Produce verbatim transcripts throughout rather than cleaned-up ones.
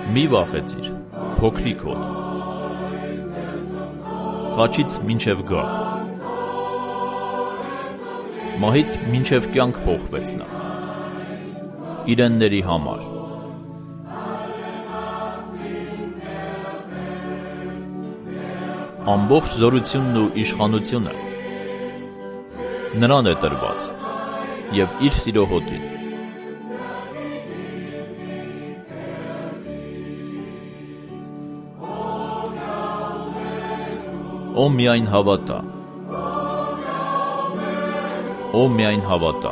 Մի վախեցիր, փոքրիկ հոտ, խաչից մինչև գահ, մահից մինչև կյանք փոխվեց նա, իրենների համար, ամբողջ զորությունն ու իշխանությունը նրան է տրված և իր սիրո հոտին, Ո միայն հավատա, Ո միայն հավատա,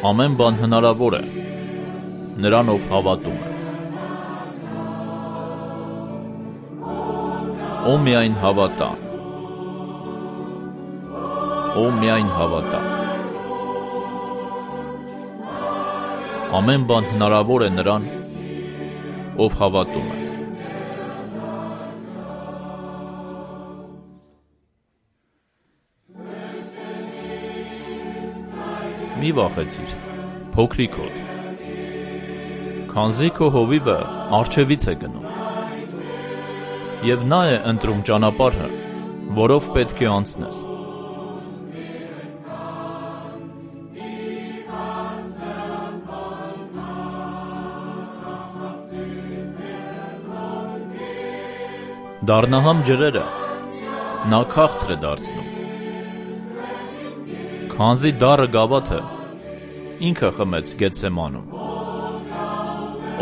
ամեն բան հնարավոր է նրան, ով հավատում է, Ո միայն հավատա, Ո միայն հավատա, ամեն բան հնարավոր է նրան, ով հավատում է, Մի վախեցիր, փոքրիկ հոտ, քանզի քո հովիվը առջևից է գնում, և նա է ընտրում ճանապարհը, որով պետք է անցնես, դառնահամ ջրերը նա քաղցր է դարձնում, քանզի դառը գավաթը ինքը խմեց Գեթսեմանում,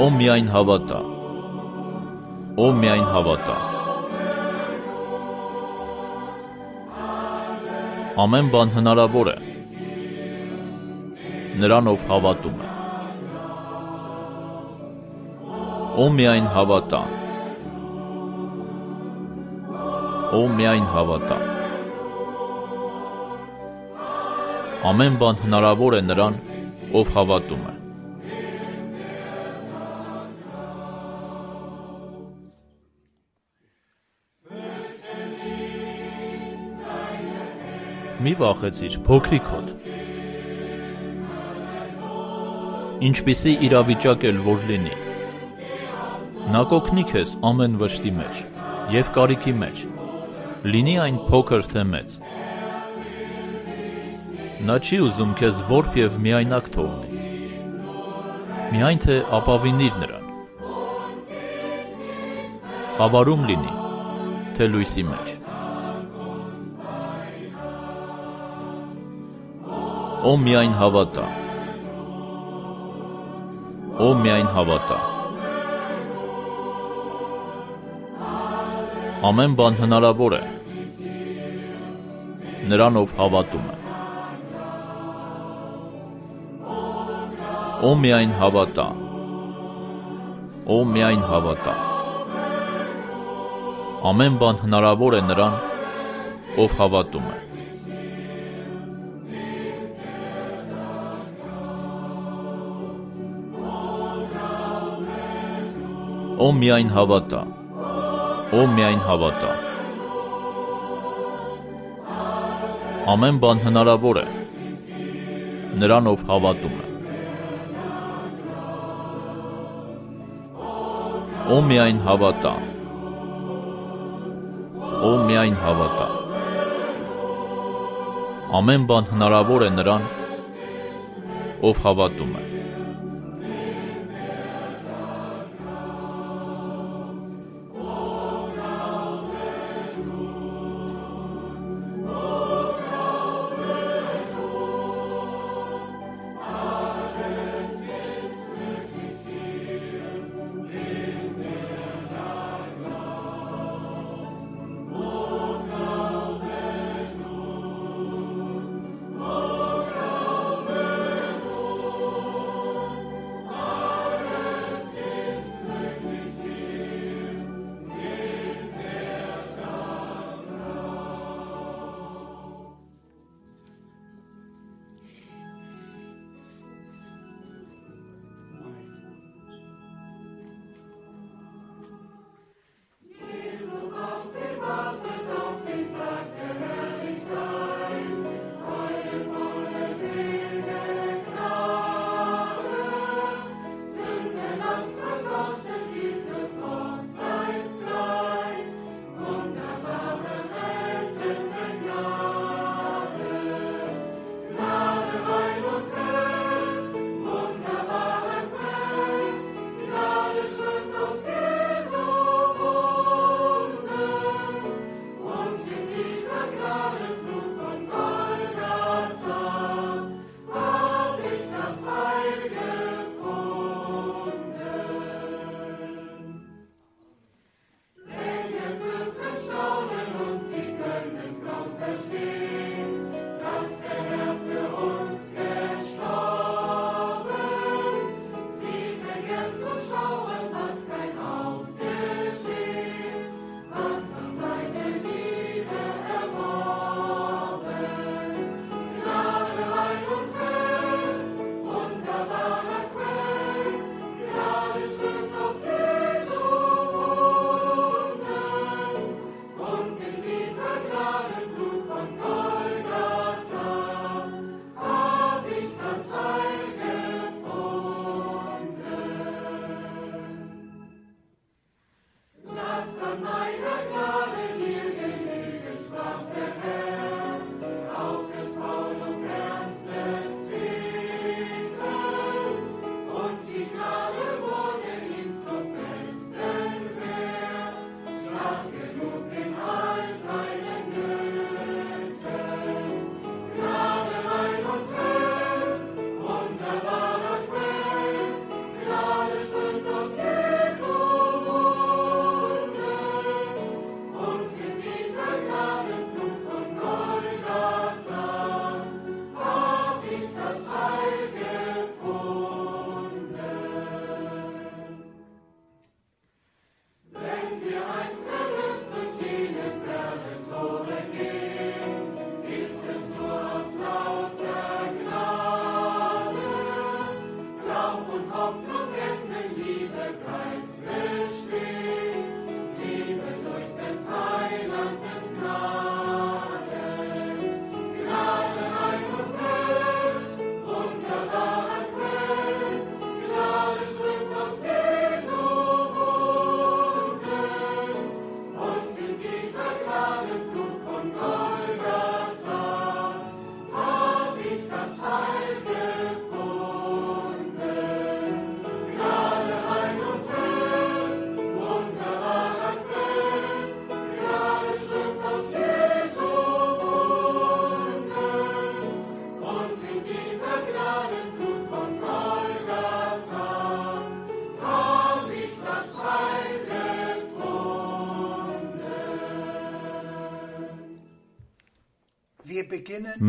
Ո միայն հավատա, Ո միայն հավատա, ամեն բան հնարավոր է նրան, ով հավատում է, Ո միայն հավատա, Ո միայն հավատա, ամեն բան հնարավոր է նրան, ով հավատում է, Մի վախեցիր, փոքրիկ հոտ, ինչպիսի իրավիճակ էլ որ լինի, նա կօգնի քեզ ամեն վշտի մեջ և կարիքի մեջ, լինի այն փոքր թե մեծ, նա չի ուզում քեզ որբ և միայնակ թողնի, միայն թե ապավինիր նրան, խավարում լինի, թե լույսի մեջ, Ո միայն հավատա, Ո միայն հավատա, ամեն բան հնարավոր է նրան, ով հավատում է, Ո միայն հավատա, Ո միայն հավատա, ամեն բան հնարավոր է նրան, ով հավատում է, Ո միայն հավատա, Ո միայն հավատա, ամեն բան հնարավոր է նրան, ով հավատում է, Ո միայն հավատա, Ո միայն հավատա, ամեն բան հնարավոր է նրան, ով հավատում է,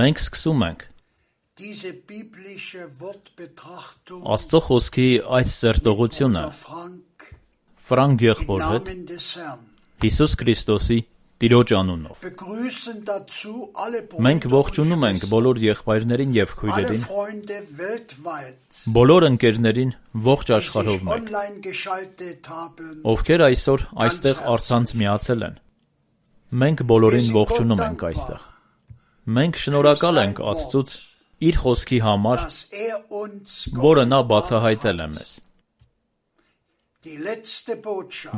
Մենք սկսում ենք Աստծո խոսքի այս սերտողությունը Ֆրանկ եղբոր հետ Հիսուս Քրիստոսի Տիրոջ անունով։ Մենք ողջունում ենք բոլոր եղբայրներին եւ քույրերին, բոլոր ընկերներին ողջ աշխարհով մեկ, ովքեր այսօր այստեղ առցանց միացել են։ Մենք բոլորին ողջունում ենք այստեղ։ Մենք շնորհակալ ենք Աստծուց իր խոսքի համար, որը նա բացահայտել է մեզ։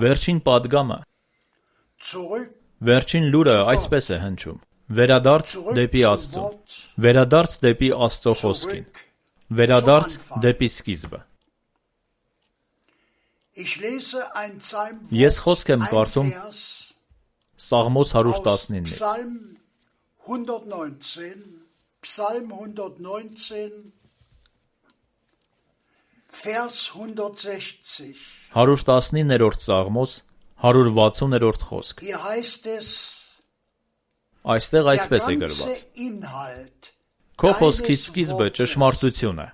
Վերջին պատգամը Վերջին լուրը այսպես է հնչում. Վերադարձ դեպի Աստծո, վերադարձ դեպի Աստծո խոսքին, վերադարձ դեպի սկիզբը։ Ես խոսք եմ կարդում Սաղմոս հարյուր տասնինից։ հարյուր տասնիններորդ Սաղմոս հարյուր վաթսուններորդ խոսք։ Այստեղ այսպես է գրված. Քո խոսքի սկիզբը ճշմարտություն է։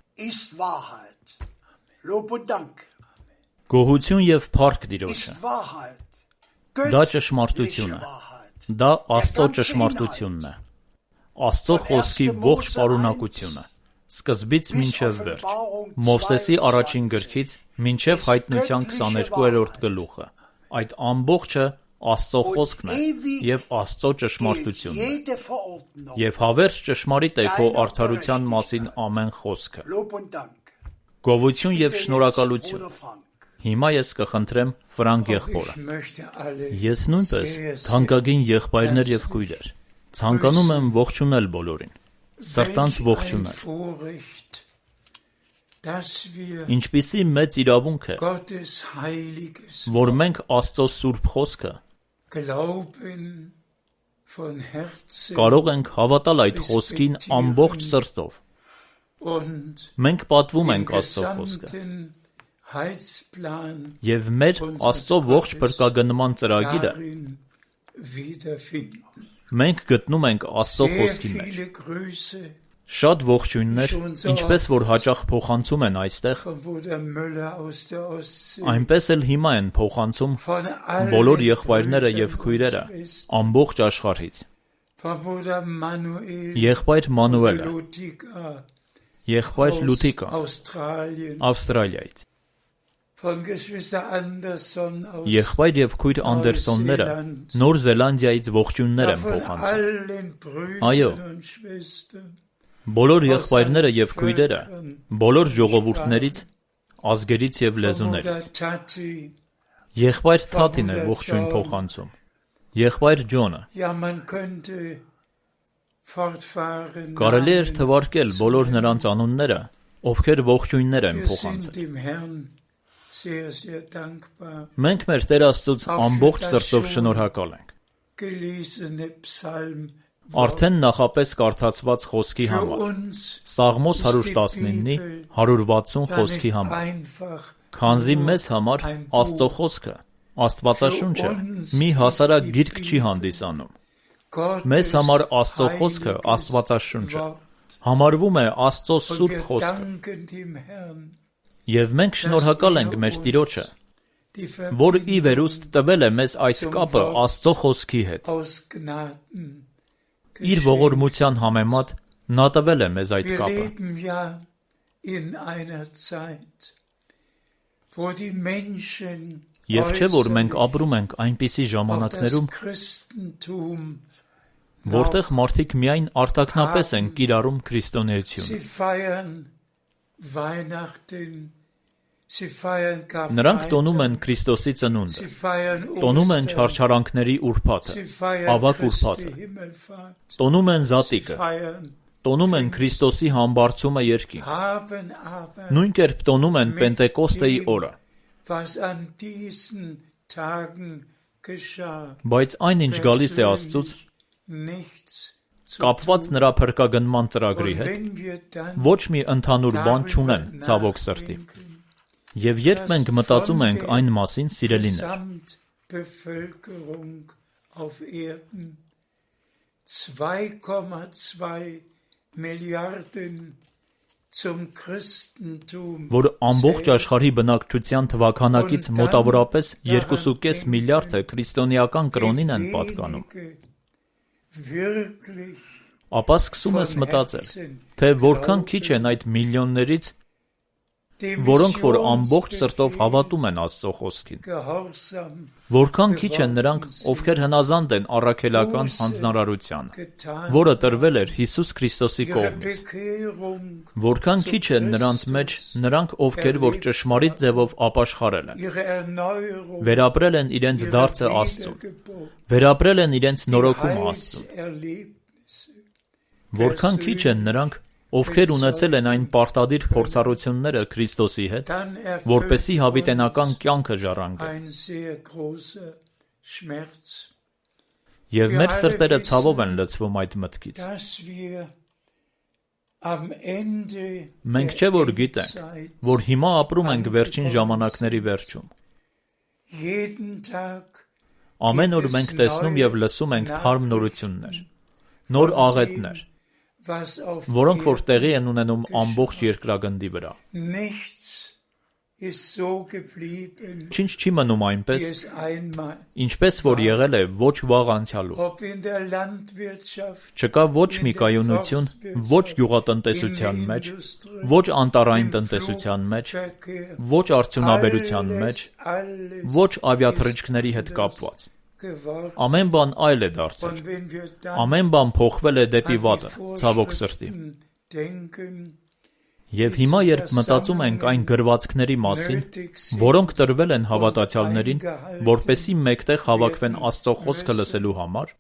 Գոհություն եւ փառք Տիրոջը։ Դա ճշմարտություն է։ Դա Աստծո ճշմարտությունն է։ Աստծո խոսքի ողջ պարունակությունը։ Սկզբից մինչև վերջ։ Մովսեսի առաջին գրքից մինչև Հայտնության քսաներկուերորդ գլուխը։ Այդ ամբողջը Աստծո խոսքն է եւ Աստծո ճշմարտությունն է։ Եվ հավերժ ճշմարիտ է քո արդարության մասին ամեն խոսքը։ Գովություն եւ շնորհակալություն։ Հիմա ես կխնդրեմ Ֆրանկ եղբորը։ Ես նույնպես թանկագին եղբայրներ եւ քույրեր, ցանկանում եմ ողջունել բոլորին։ Սրտանց ողջունել։ Ինչպիսի մեծ իրավունք է, որ մենք Աստծո սուրբ խոսքը կարող ենք հավատալ այդ խոսքին ամբողջ սրտով։ Մենք պատվում ենք Աստծո խոսքը։ Եվ մեր Աստծո ողջ փրկագնման ծրագիրը մենք գտնում ենք Աստծո խոսքի մեջ։ Շատ ողջույններ, ինչպես որ հաճախ փոխանցում են այստեղ, այնպես էլ հիմա են փոխանցում բոլոր եղբայրները եւ քույրերը ամբողջ աշխարհից։ Եղբայր Մանուելը, եղբայր Լութիկա, Ավստրալիայից, եղբայր եւ քույր Անդերսոնները Նոր Զելանդիայից ողջույններ են փոխանցում։ Այո, բոլոր եղբայրները եւ քույրերը, բոլոր ժողովուրդներից, ազգերից եւ լեզուներից։ Եղբայր Թաթին է ողջույն փոխանցում։ Եղբայր Ջոնը։ Կարելի էր թվարկել բոլոր նրանց անունները, ովքեր ողջույններ են փոխանցել։ Մենք մեր Տեր Աստծուց ամբողջ սրտով շնորհակալ ենք։ Արդեն նախապես կարդացված խոսքի համար, Սաղմոս հարյուր տասնինի հարյուր վաթսուն խոսքի համար, քանզի մեզ համար Աստծո խոսքը, Աստվածաշունչը մի հասարակ գիրք չի հանդիսանում։ Մեզ համար Աստծո խոսքը, Աստվածաշունչը, համարվում է Աստծո սուրբ խոսքը։ Եվ մենք շնորհակալ ենք մեր Տիրոջը, որ ի վերուստ տվել է մեզ այս կապը Աստծո խոսքի հետ։ Իր ողորմության համեմատ նա տվել է մեզ այդ կապը։ Եվ չէ՞ որ մենք ապրում ենք այնպիսի ժամանակներում, որտեղ մարդիկ միայն արտաքնապես են կիրառում քրիստոնեությունը։ Նրանք տոնում են Քրիստոսի ծնունդը, տոնում են չարչարանքների ուրբաթը, ավագ ուրբաթը, տոնում են զատիկը, տոնում են Քրիստոսի համբարձումը երկինք, նույն կերպ տոնում են Պենտեկոստեի օրը։ Բայց այն ինչ գալիս է Աստծուց, կապված նրա փրկագնման ծրագրի հետ, ոչ մի ընդհանուր բան չունեն, ցավոք սրտի։ Եվ երբ մենք մտածում ենք այն մասին, սիրելիներ, zwei Komma zwei Milliarden zum Christentum, որ ամբողջ աշխարհի բնակչության թվաքանակից մոտավորապես երկու կես միլիարդը քրիստոնեական կրոնին են պատկանում, ապա սկսում ես մտածել, թե որքան քիչ են այդ միլիոններից, որոնք որ ամբողջ սրտով հավատում են Աստծո խոսքին, որքան քիչ են նրանք, ովքեր հնազանդ են առաքելական հանձնարարությանը, որը տրվել էր Հիսուս Քրիստոսի կողմից, որքան քիչ են նրանց մեջ նրանք, ովքեր որ ճշմարիտ ձևով ապաշխարել են, վերապրել են իրենց դարձը Աստծուն, վերապրել են իրենց նորոգումը Աստծուն, որքան քիչ են նրանք, ովքեր ունեցել են այն պարտադիր փորձառությունները Քրիստոսի հետ, որպեսզի հավիտենական կյանքը ժառանգեն։ Եվ մեր սրտերը ցավով են լցվում այդ մտքից։ Մենք չէ որ գիտենք, որ հիմա ապրում ենք վերջին ժամանակների վերջում։ Ամեն օր մենք տեսնում և լսում ենք թարմ նորություններ, նոր աղետներ, որոնք որ տեղի են ունենում ամբողջ երկրագնդի վրա։ Ինչ չի մնում այնպես, ինչպես որ եղել է ոչ վաղ անցյալում։ Չկա ոչ մի կայունություն, ոչ գյուղատնտեսության մեջ, ոչ անտառային տնտեսության մեջ, ոչ արդյունաբերության մեջ, ոչ ավիաթռիչքների հետ կապված։ Ամեն բան այլ է դարձել, ամեն բան փոխվել է դեպի վատը, ցավոք սրտի։ Եվ հիմա երբ մտածում ենք այն գրվածքների մասին, որոնք տրվել են հավատացյալներին, որպեսզի մեկտեղ հավաքվեն Աստծո խոսքը լսելու համար,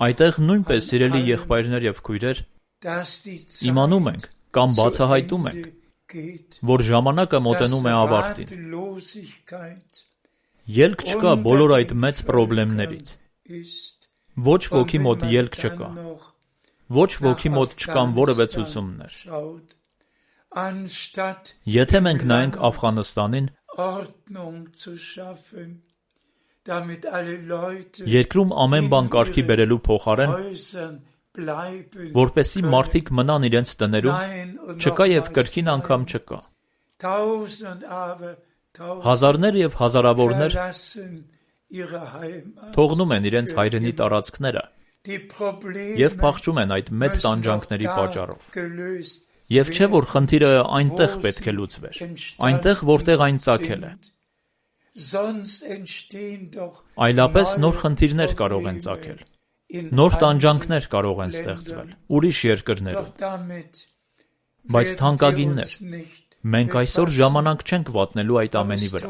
այդտեղ նույնպես, սիրելի եղբայրներ և քույրեր, իմանում ենք կամ բացահայտում ենք, որ ժամանակը մոտենում է ավարտին։ Ելք չկա բոլոր այդ մեծ պրոբլեմներից։ Ոչ ոքի մոտ ելք չկա։ Ոչ ոքի մոտ չկան որևէ ցուցումներ։ Եթե մենք նայենք Աֆղանստանին, երկրում ամեն բան կարգի բերելու փոխարեն, որպեսզի մարդիկ մնան իրենց տներում, չկա և կրկին անգամ չկա։ Հազարներ և հազարավորներ թողնում են իրենց հայրենի տարածքները և փախչում են այդ մեծ տանջանքների պատճառով։ Եվ չէ որ խնդիրը այնտեղ պետք է լուծվեր, այնտեղ որտեղ այն ծագել է։ Այլապես նոր խնդիրներ կարող են ծագել, նոր տանջանքներ կարող են ստեղծվել ուրիշ երկրներում։ Բայց թանկագիններ, մենք այսօր ժամանակ չենք վատնելու այդ ամենի վրա։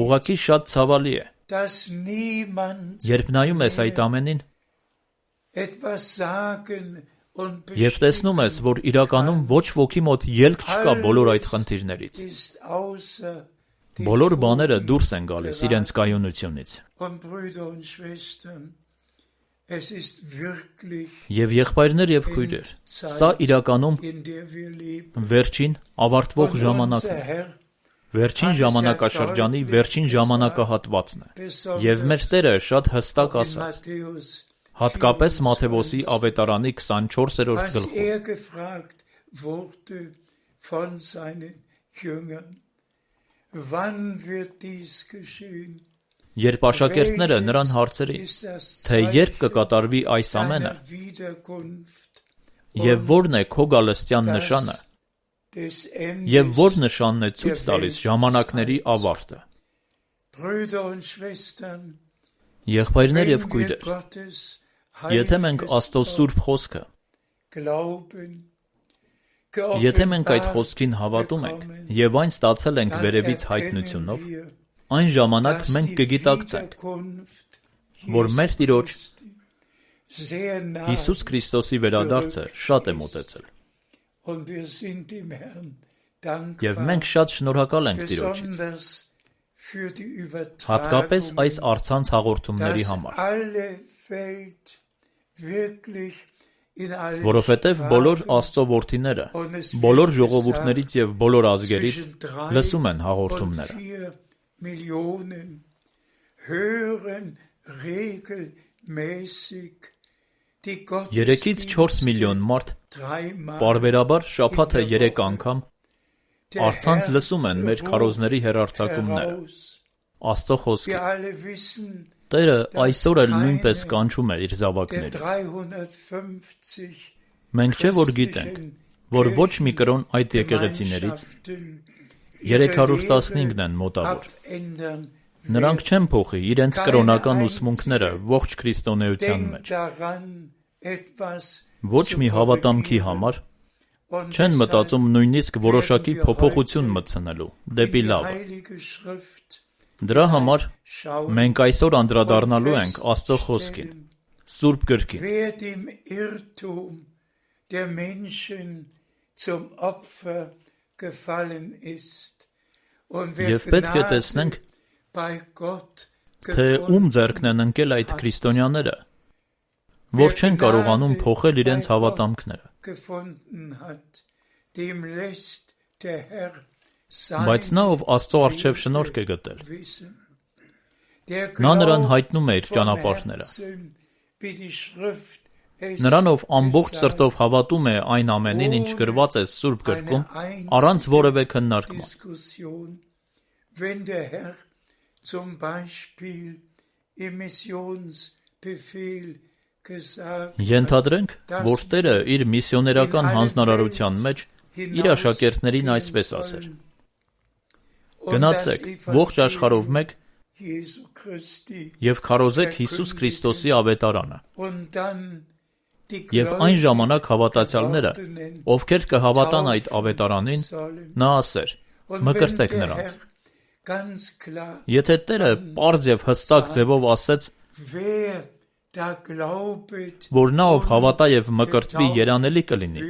Ուղղակի շատ ցավալի է, երբ նայում ես այդ ամենին և տեսնում ես, որ իրականում ոչ ոքի մոտ ելք չկա բոլոր այդ խնդիրներից։ Բոլոր բաները դուրս են գալիս իրենց կայունությունից։ Եվ եղբայրներ և քույրեր, սա իրականում վերջին ավարտվող ժամանակն է, վերջին ժամանակաշրջանի վերջին ժամանակահատվածն է, և մեր Տերը շատ հստակ ասաց, հատկապես Մատթեոսի ավետարանի քսանչորսերորդ գլխում։ Երբ աշակերտները նրան հարցրին, թե երբ կկատարվի այս ամենը, և որն է քո գալստյան նշանը, և որ նշանն է ցույց տալիս ժամանակների ավարտը։ Եղբայրներ և քույրեր, եթե մենք Աստծո սուրբ խոսքը, եթե մենք այդ խոսքին հավատում ենք և այն ստացել ենք վերևից հայտնությունով, այն ժամանակ մենք կգիտակցենք, որ մեր Տիրոջ Հիսուս Քրիստոսի վերադարձը շատ է մոտեցել։ Եվ մենք շատ շնորհակալ ենք Տիրոջից, հատկապես այս առցանց հաղորդումների համար, որովհետև բոլոր Աստծո որդիները, բոլոր ժողովուրդներից և բոլոր ազգերից լսում են հաղորդումները։ Երեքից չորս միլիոն մարդ պարբերաբար շաբաթը երեք անգամ առցանց լսում են մեր քարոզների հեռարձակումները, Աստծո խոսքը։ Տերը այսօր էլ նույնպես կանչում է իր զավակներին։ Մենք չէ որ գիտենք, որ ոչ մի կրոն այդ եկեղեցիներից երեք հարյուր տասնհինգն են մոտավոր։ Նրանք չեն փոխի իրենց կրոնական ուսմունքները ողջ քրիստոնեության մեջ։ Ոչ մի հավատամքի համար չեն մտածում նույնիսկ որոշակի փոփոխություն մտցնելու դեպի լավը։ Դրա համար մենք այսօր անդրադառնալու ենք Աստծո խոսքին, Սուրբ Գրքին։ Եվ պետք է տեսնենք, թե ում ձեռքն են ընկել այդ քրիստոնյաները, որ չեն կարողանում փոխել իրենց հավատամքները։ Բայց նա, ով Աստծո առջև շնորհք է գտել, նա նրան հայտնում է իր ճանապարհները։ Նրան, ով ամբողջ սրտով հավատում է այն ամենին, ինչ գրված է Սուրբ Գրքում, առանց որևէ քննարկման։ Ենթադրենք, որ Տերը իր միսիոներական հանձնարարության մեջ իր աշակերտներին այսպես ասեր. Գնացեք ողջ աշխարհով մեկ և քարոզեք Հիսուս Քրիստոսի ավետարանը։ Եվ այն ժամանակ հավատացյալները, ովքեր կհավատան այդ ավետարանին, նա ասեր. մկրտեք նրանց։ Եթե Տերը պարզ և հստակ ձևով ասեց, որ նա, ով հավատա և մկրտվի, երանելի կլինի,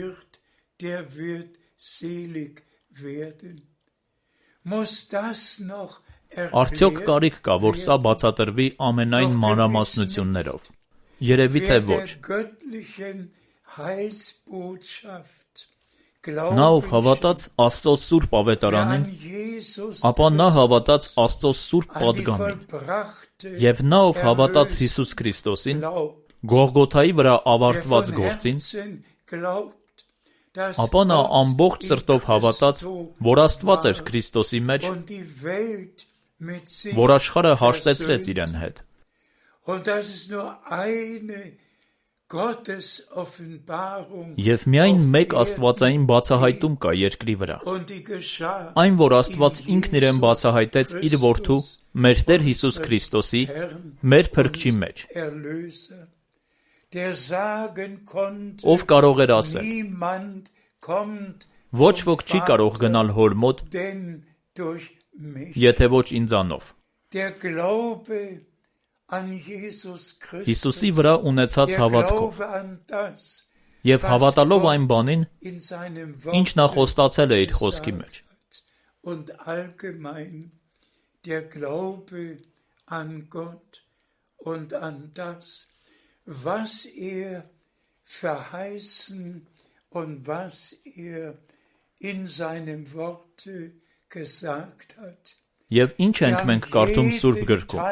արդյոք կարիք կա, որ սա բացատրվի ամենայն մանրամասնություններով։ Երևի թե ոչ։ Նա, ով հավատաց Աստծո Սուրբ ավետարանին, ապա նա հավատաց Աստծո Սուրբ պատգամին, և նա, ով հավատաց Հիսուս Քրիստոսին, Գողգոթայի վրա ավարտված գործին, ապա նա ամբողջ սրտով հավատաց, որ Աստված էր Քրիստոսի մեջ, որ աշխարհը հաշտեցրեց իրեն հետ։ Եվ միայն մեկ աստվածային բացահայտում կա երկրի վրա։ Այն, որ Աստված ինքն իրեն բացահայտեց իր որդու, մեր Տեր Հիսուս Քրիստոսի, մեր Փրկչի մեջ։ Ով կարող էր ասել. ոչ ոք չի կարող գնալ Հոր մոտ, եթե ոչ ինձանով։ Հիսուսի վրա ունեցած հավատքով և հավատալով այն բանին, ինչ նա խոստացել է իր խոսքի մեջ։ was er verheißen und was er in seinem Worte gesagt hat. Եվ ինչ ենք մենք կարդում Սուրբ Գրքում,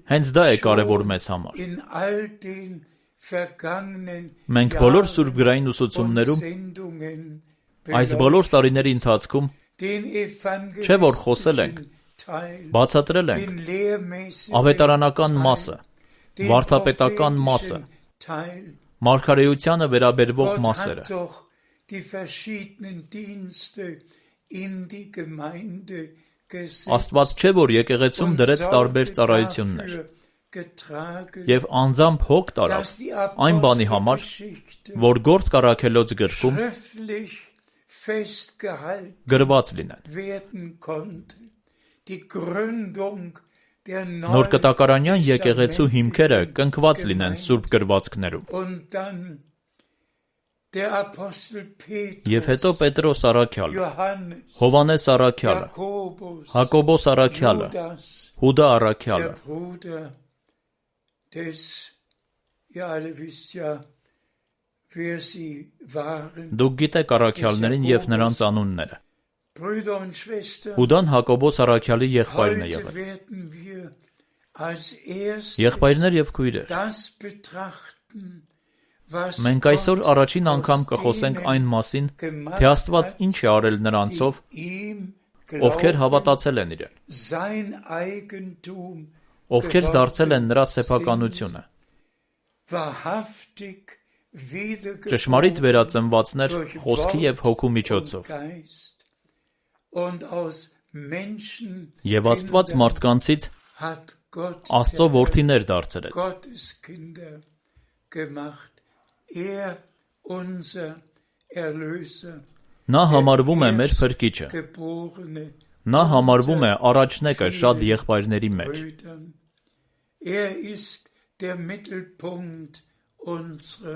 հենց դա է կարևոր մեզ համար։ Մենք բոլոր Սուրբ գրային ուսուցումներում, այս բոլոր տարիների ընթացքում, չէ որ խոսել ենք, բացատրել ենք ավետարանական մասը, վարդապետական մասը, մարգարեությանը վերաբերվող մասերը։ Աստված չէ որ եկեղեցում դրեց տարբեր ծառայություններ և անձամբ հոգ տարավ այն բանի համար, որ Գործք առաքելոց գրքում գրված լինեն։ Նոր կտակարանյան եկեղեցու հիմքերը կնքված լինեն Սուրբ գրվածքներում։ Եվ հետո Պետրոս առաքյալը, Հովհաննես առաքյալը, Հակոբոս առաքյալը, Հուդա առաքյալը, դուք գիտեք առաքյալներին և նրանց անունները։ Հուդան Հակոբոս առաքյալի եղբայրն է եղել։ Եղբայրներ եւ քույրեր, մենք այսօր առաջին անգամ կխոսենք այն մասին, թե Աստված ինչ է արել նրանցով, ովքեր հավատացել են իրեն, ովքեր դարձել են նրա սեփականությունը, ճշմարիտ վերածնվածներ խոսքի եւ հոգու միջոցով, եւ Աստված մարդկանցից Աստծո որդիներ դարձրեց։ Նա համարվում է մեր փրկիչը։ Նա համարվում է առաջնեկը շատ եղբայրների մեջ։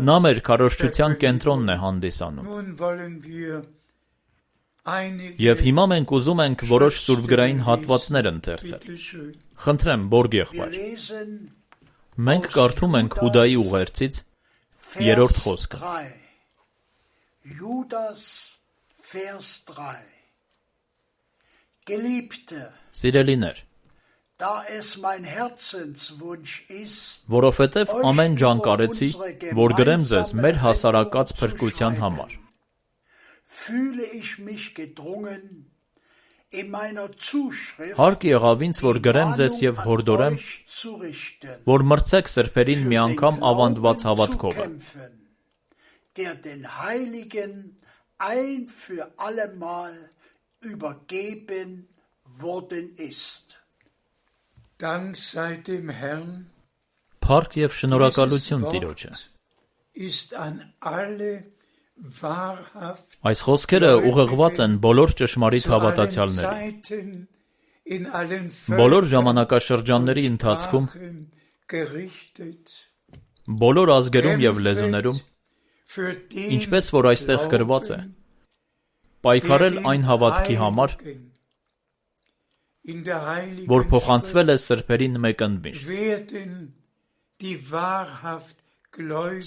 Նա մեր քարոզչության կենտրոնն է հանդիսանում։ Եվ հիմա մենք ուզում ենք որոշ սուրբգրային հատվածներ ընթերցել։ Խնդրեմ, Բորգ եղբայր։ Մենք կարդում ենք Հուդայի ուղերձից երրորդ խոսքը։ Սիրելիներ, որովհետև ամեն ջան կարեցի, որ գրեմ ձեզ մեր հասարակած փրկության համար։ Հարկ եղավ ինձ, որ գրեմ ձեզ եւ հորդորեմ, որ մրցեք սրբերին մի անգամ ավանդված հավատքովը, Փառք եւ շնորհակալություն Տիրոջը։ Այս խոսքերը ուղղված են բոլոր ճշմարիտ հավատացյալներին։ Բոլոր ժամանակաշրջանների ընթացքում, բոլոր ազգերում եւ լեզուներում, ինչպես որ այստեղ գրված է, պայքարել այն հավատքի համար, որ փոխանցվել է սրբերին մեկընդմիշտ։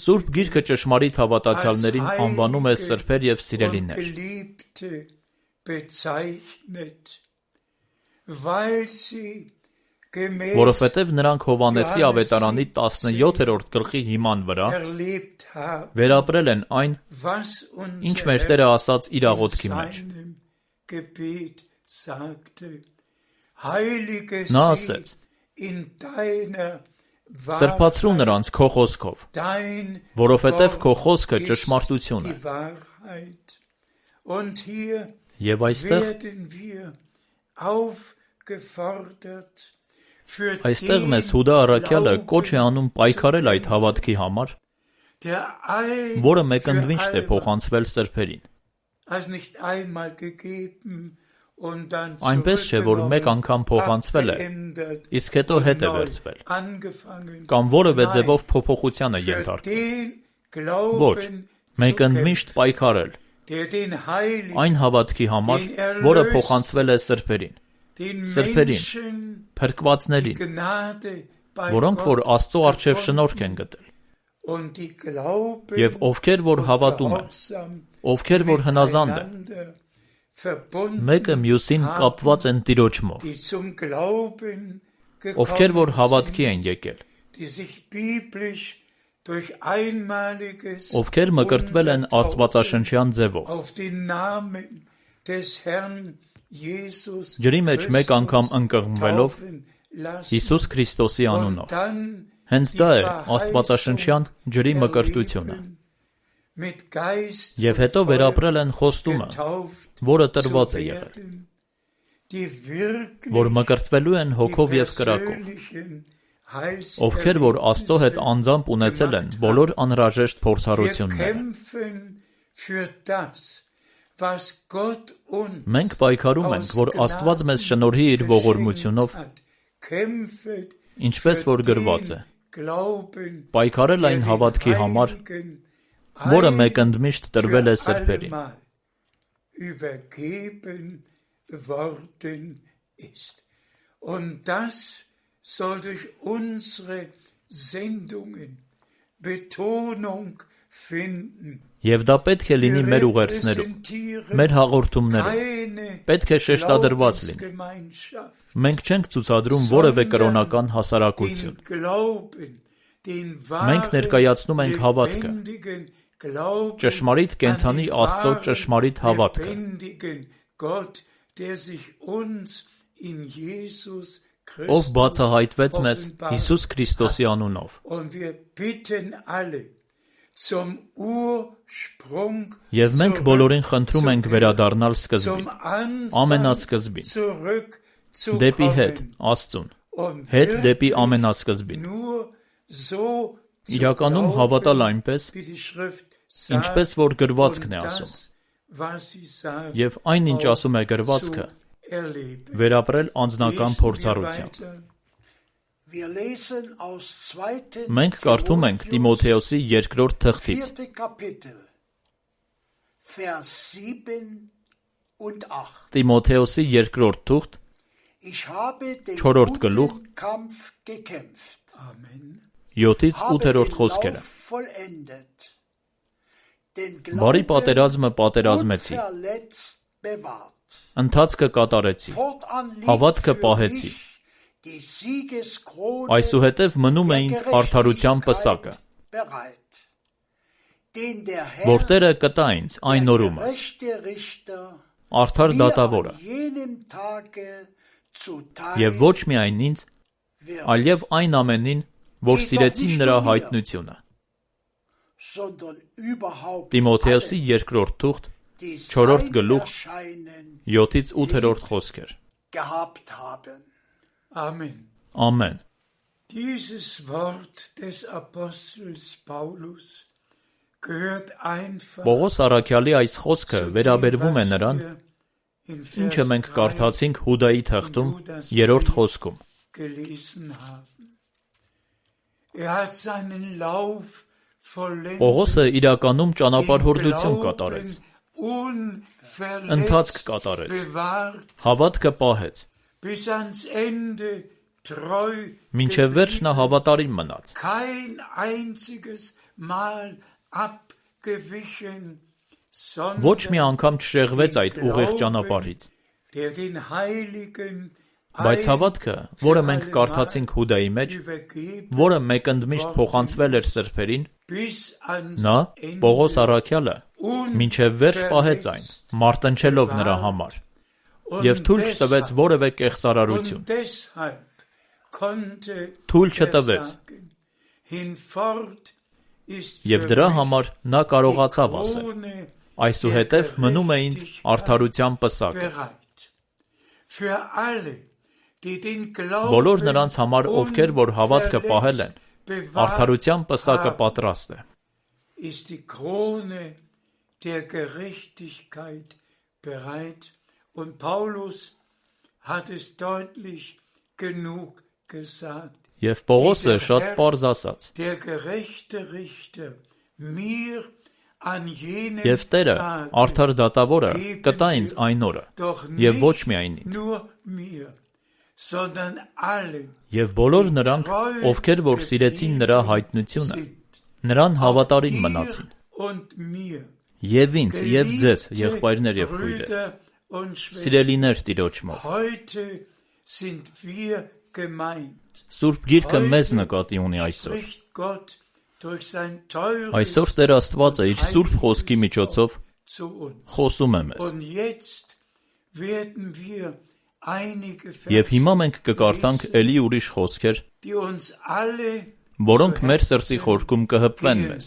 Սուրբ Գիրքը ճշմարիտ հավատացյալներին անվանում է սրբեր եւ սիրելիներ։ Որովհետև նրանք Հովհաննեսի ավետարանի տասնյոթերորդ գլխի հիման վրա վերապրել են այն, ինչ մեր Տերը ասաց իր աղոթքի մեջ։ Նա ասեց. Սրբացրու նրանց քո խոսքով, որովհետև քո խոսքը ճշմարտություն է։ Եվ այստեղ Այստեղ մեզ Հուդա առաքյալը կոչ է անում պայքարել այդ հավատքի համար, որը մեկընդմիշտ է փոխանցվել սրբերին։ Այնպես չէ, որ մեկ անգամ փոխանցվել է, իսկ հետո հետ է վերցվել, կամ որևէ ձևով փոփոխության է ենթարկվել։ Ոչ, մեկընդմիշտ պայքարել այն հավատքի համար, որը փոխանցվել է սրբերին, սրբերին, փրկվածներին, որոնք որ Աստծո առջև շնորհք են գտել, եւ ովքեր որ հավատում են, ովքեր որ հնազանդ են, մեկը մյուսին կապված են Տիրոջմով, ովքեր որ հավատքի են եկել, ովքեր մկրտվել են աստվածաշնչյան ձևով, ջրի մեջ մեկ անգամ ընկղմվելով Հիսուս Քրիստոսի անունով։ Հենց դա է աստվածաշնչյան ջրի մկրտությունը։ Եվ հետո վերապրել են խոստումը, որը տրված է եղել, որ մկրտվելու են հոգով եւ կրակով, ովքեր որ Աստծո հետ անձամբ ունեցել են բոլոր անհրաժեշտ փորձառությունները։ Մենք պայքարում ենք, որ Աստված մեզ շնորհի իր ողորմությունով, ինչպես որ գրված է, պայքարել այն հավատքի համար, որը մեկընդմիշտ տրվել է սրբերին։ Und das soll durch unsere Sendungen Betonung finden. Եվ դա պետք է լինի մեր ուղերձներում, մեր հաղորդումներում, պետք է շեշտադրված լինի։ Մենք չենք ցուցադրում որևէ կրոնական հասարակություն։ Մենք ներկայացնում ենք հավատքը, ճշմարիտ կենդանի Աստծո ճշմարիտ հավատքը, ով բացահայտվեց մեզ Հիսուս Քրիստոսի անունով։ Եվ մենք բոլորին խնդրում ենք վերադառնալ սկզբին, ամենասկզբին, դեպի հետ, Աստծուն, հետ դեպի ամենասկզբին։ Իրականում հավատալ այնպես, ինչպես որ գրվածքն է ասում, եւ այն, ինչ ասում է գրվածքը, վերապրել անձնական փորձառությամբ։ Մենք կարդում ենք Տիմոթեոսի երկրորդ թղթից, Տիմոթեոսի երկրորդ թուղթ, չորրորդ գլուխ, յոթից ութերորդ խոսքերը։ Բարի պատերազմը պատերազմեցի, ընթացքը կատարեցի, հավատքը պահեցի։ Այսուհետև մնում է ինձ արդարության պսակը, որ Տերը կտա ինձ այն օրումը, արդար դատավորը, եւ ոչ միայն ինձ, այլև այն ամենին, որ սիրեցին նրա հայտնությունը։ Տիմոթեոսի երկրորդ թուղթ, չորրորդ գլուխ, յոթից ութերորդ խոսքեր։ Amen. Amen. Dieses Wort des Apostels Paulus gehört einfach Պողոս առաքյալի այս խոսքը վերաբերվում է նրան, ինչը մենք կարդացինք Հուդայի թղթում երրորդ խոսքում։ Պողոսը իրականում ճանապարհորդություն կատարեց, ընթացք կատարեց, հավատքը պահեց, մինչև վերջ նա հավատարիմ մնաց։ Ոչ մի անգամ չշեղվեց այդ ուղիղ ճանապարհից։ Բայց հավատքը, որը մենք կարդացինք Հուդայի մեջ, որը մեկընդմիշտ փոխանցվել էր սրբերին, նա, Պողոս առաքյալը, մինչև վերջ պահեց այն, մարտնչելով նրա համար, և թույլ չտվեց որևէ կեղծարարություն։ Թույլ չտվեց։ Եվ դրա համար նա կարողացավ ասել. այսուհետև մնում է ինձ արդարության պսակը։ Բոլոր նրանց համար, ովքեր որ հավատքը պահել են, արդարության պսակը պատրաստ է։ Und Paulus hat es deutlich genug gesagt. Եվ Պողոսը շատ պարզ ասաց. Der gerechte Richter mir an jenem Եվ Տերը, արդար դատավորը, կտա ինձ այն օրը, եւ ոչ միայն ինձ, եւ բոլոր նրանք, ովքեր որ սիրեցին նրա հայտնությունը, նրան հավատարիմ մնացին։ Եվ ինձ, եւ ձեզ, եղբայրներ եւ քույրեր, սիրելիներ Տիրոջմով։ Սուրբ Գիրքը մեզ նկատի ունի այսօր։ Այսօր Տեր Աստվածը իր Սուրբ Խոսքի միջոցով խոսում է մեզ։ Եվ հիմա մենք կկարդանք էլի ուրիշ խոսքեր, որոնք մեր սրտի խորքում կհպվեն մեզ։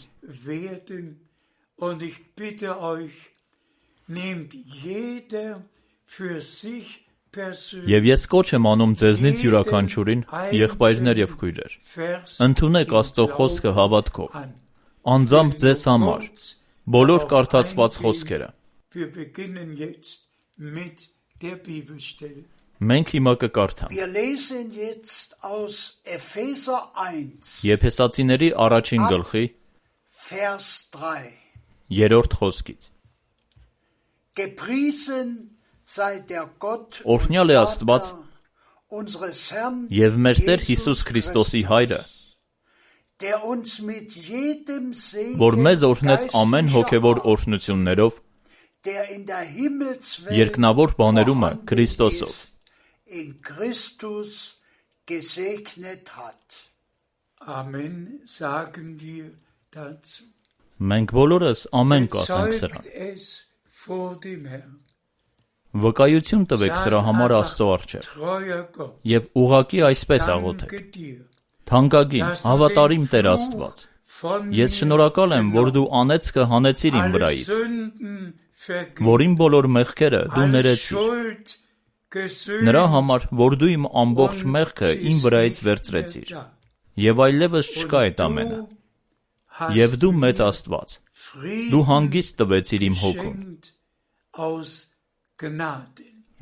Եվ ես կոչ եմ անում ձեզնից յուրաքանչյուրին, եղբայրներ եւ քույրեր, ընդունեք Աստծո խոսքը հավատքով, անձամբ ձեզ համար, բոլոր կարդացված խոսքերը։ Մենք հիմա կկարդանք Եփեսացիների առաջին գլխի երրորդ խոսքից։ Օրհնյալ է Աստված և մեր Տեր Հիսուս Քրիստոսի Հայրը, որ մեզ օրհնեց ամեն հոգևոր օրհնություններով, երկնավոր բաներումը Քրիստոսով։ Amen sagen wir dazu. Մենք բոլորս ամեն կասենք սրան։ Վկայություն տվեք սրա համար Աստծո առջև և ուղղակի այսպես աղոթեք. թանկագին, հավատարիմ Տեր Աստված, ես շնորհակալ եմ, որ դու անեծքը հանեցիր իմ վրայից, որ իմ բոլոր մեղքերը դու ներեցիր, նրա համար, որ դու իմ ամբողջ մեղքը իմ վրայից վերցրեցիր, և այլևս չկա այդ ամենը, և դու մեծ Աստված, դու հանգիստ տվեցիր իմ հոգուն,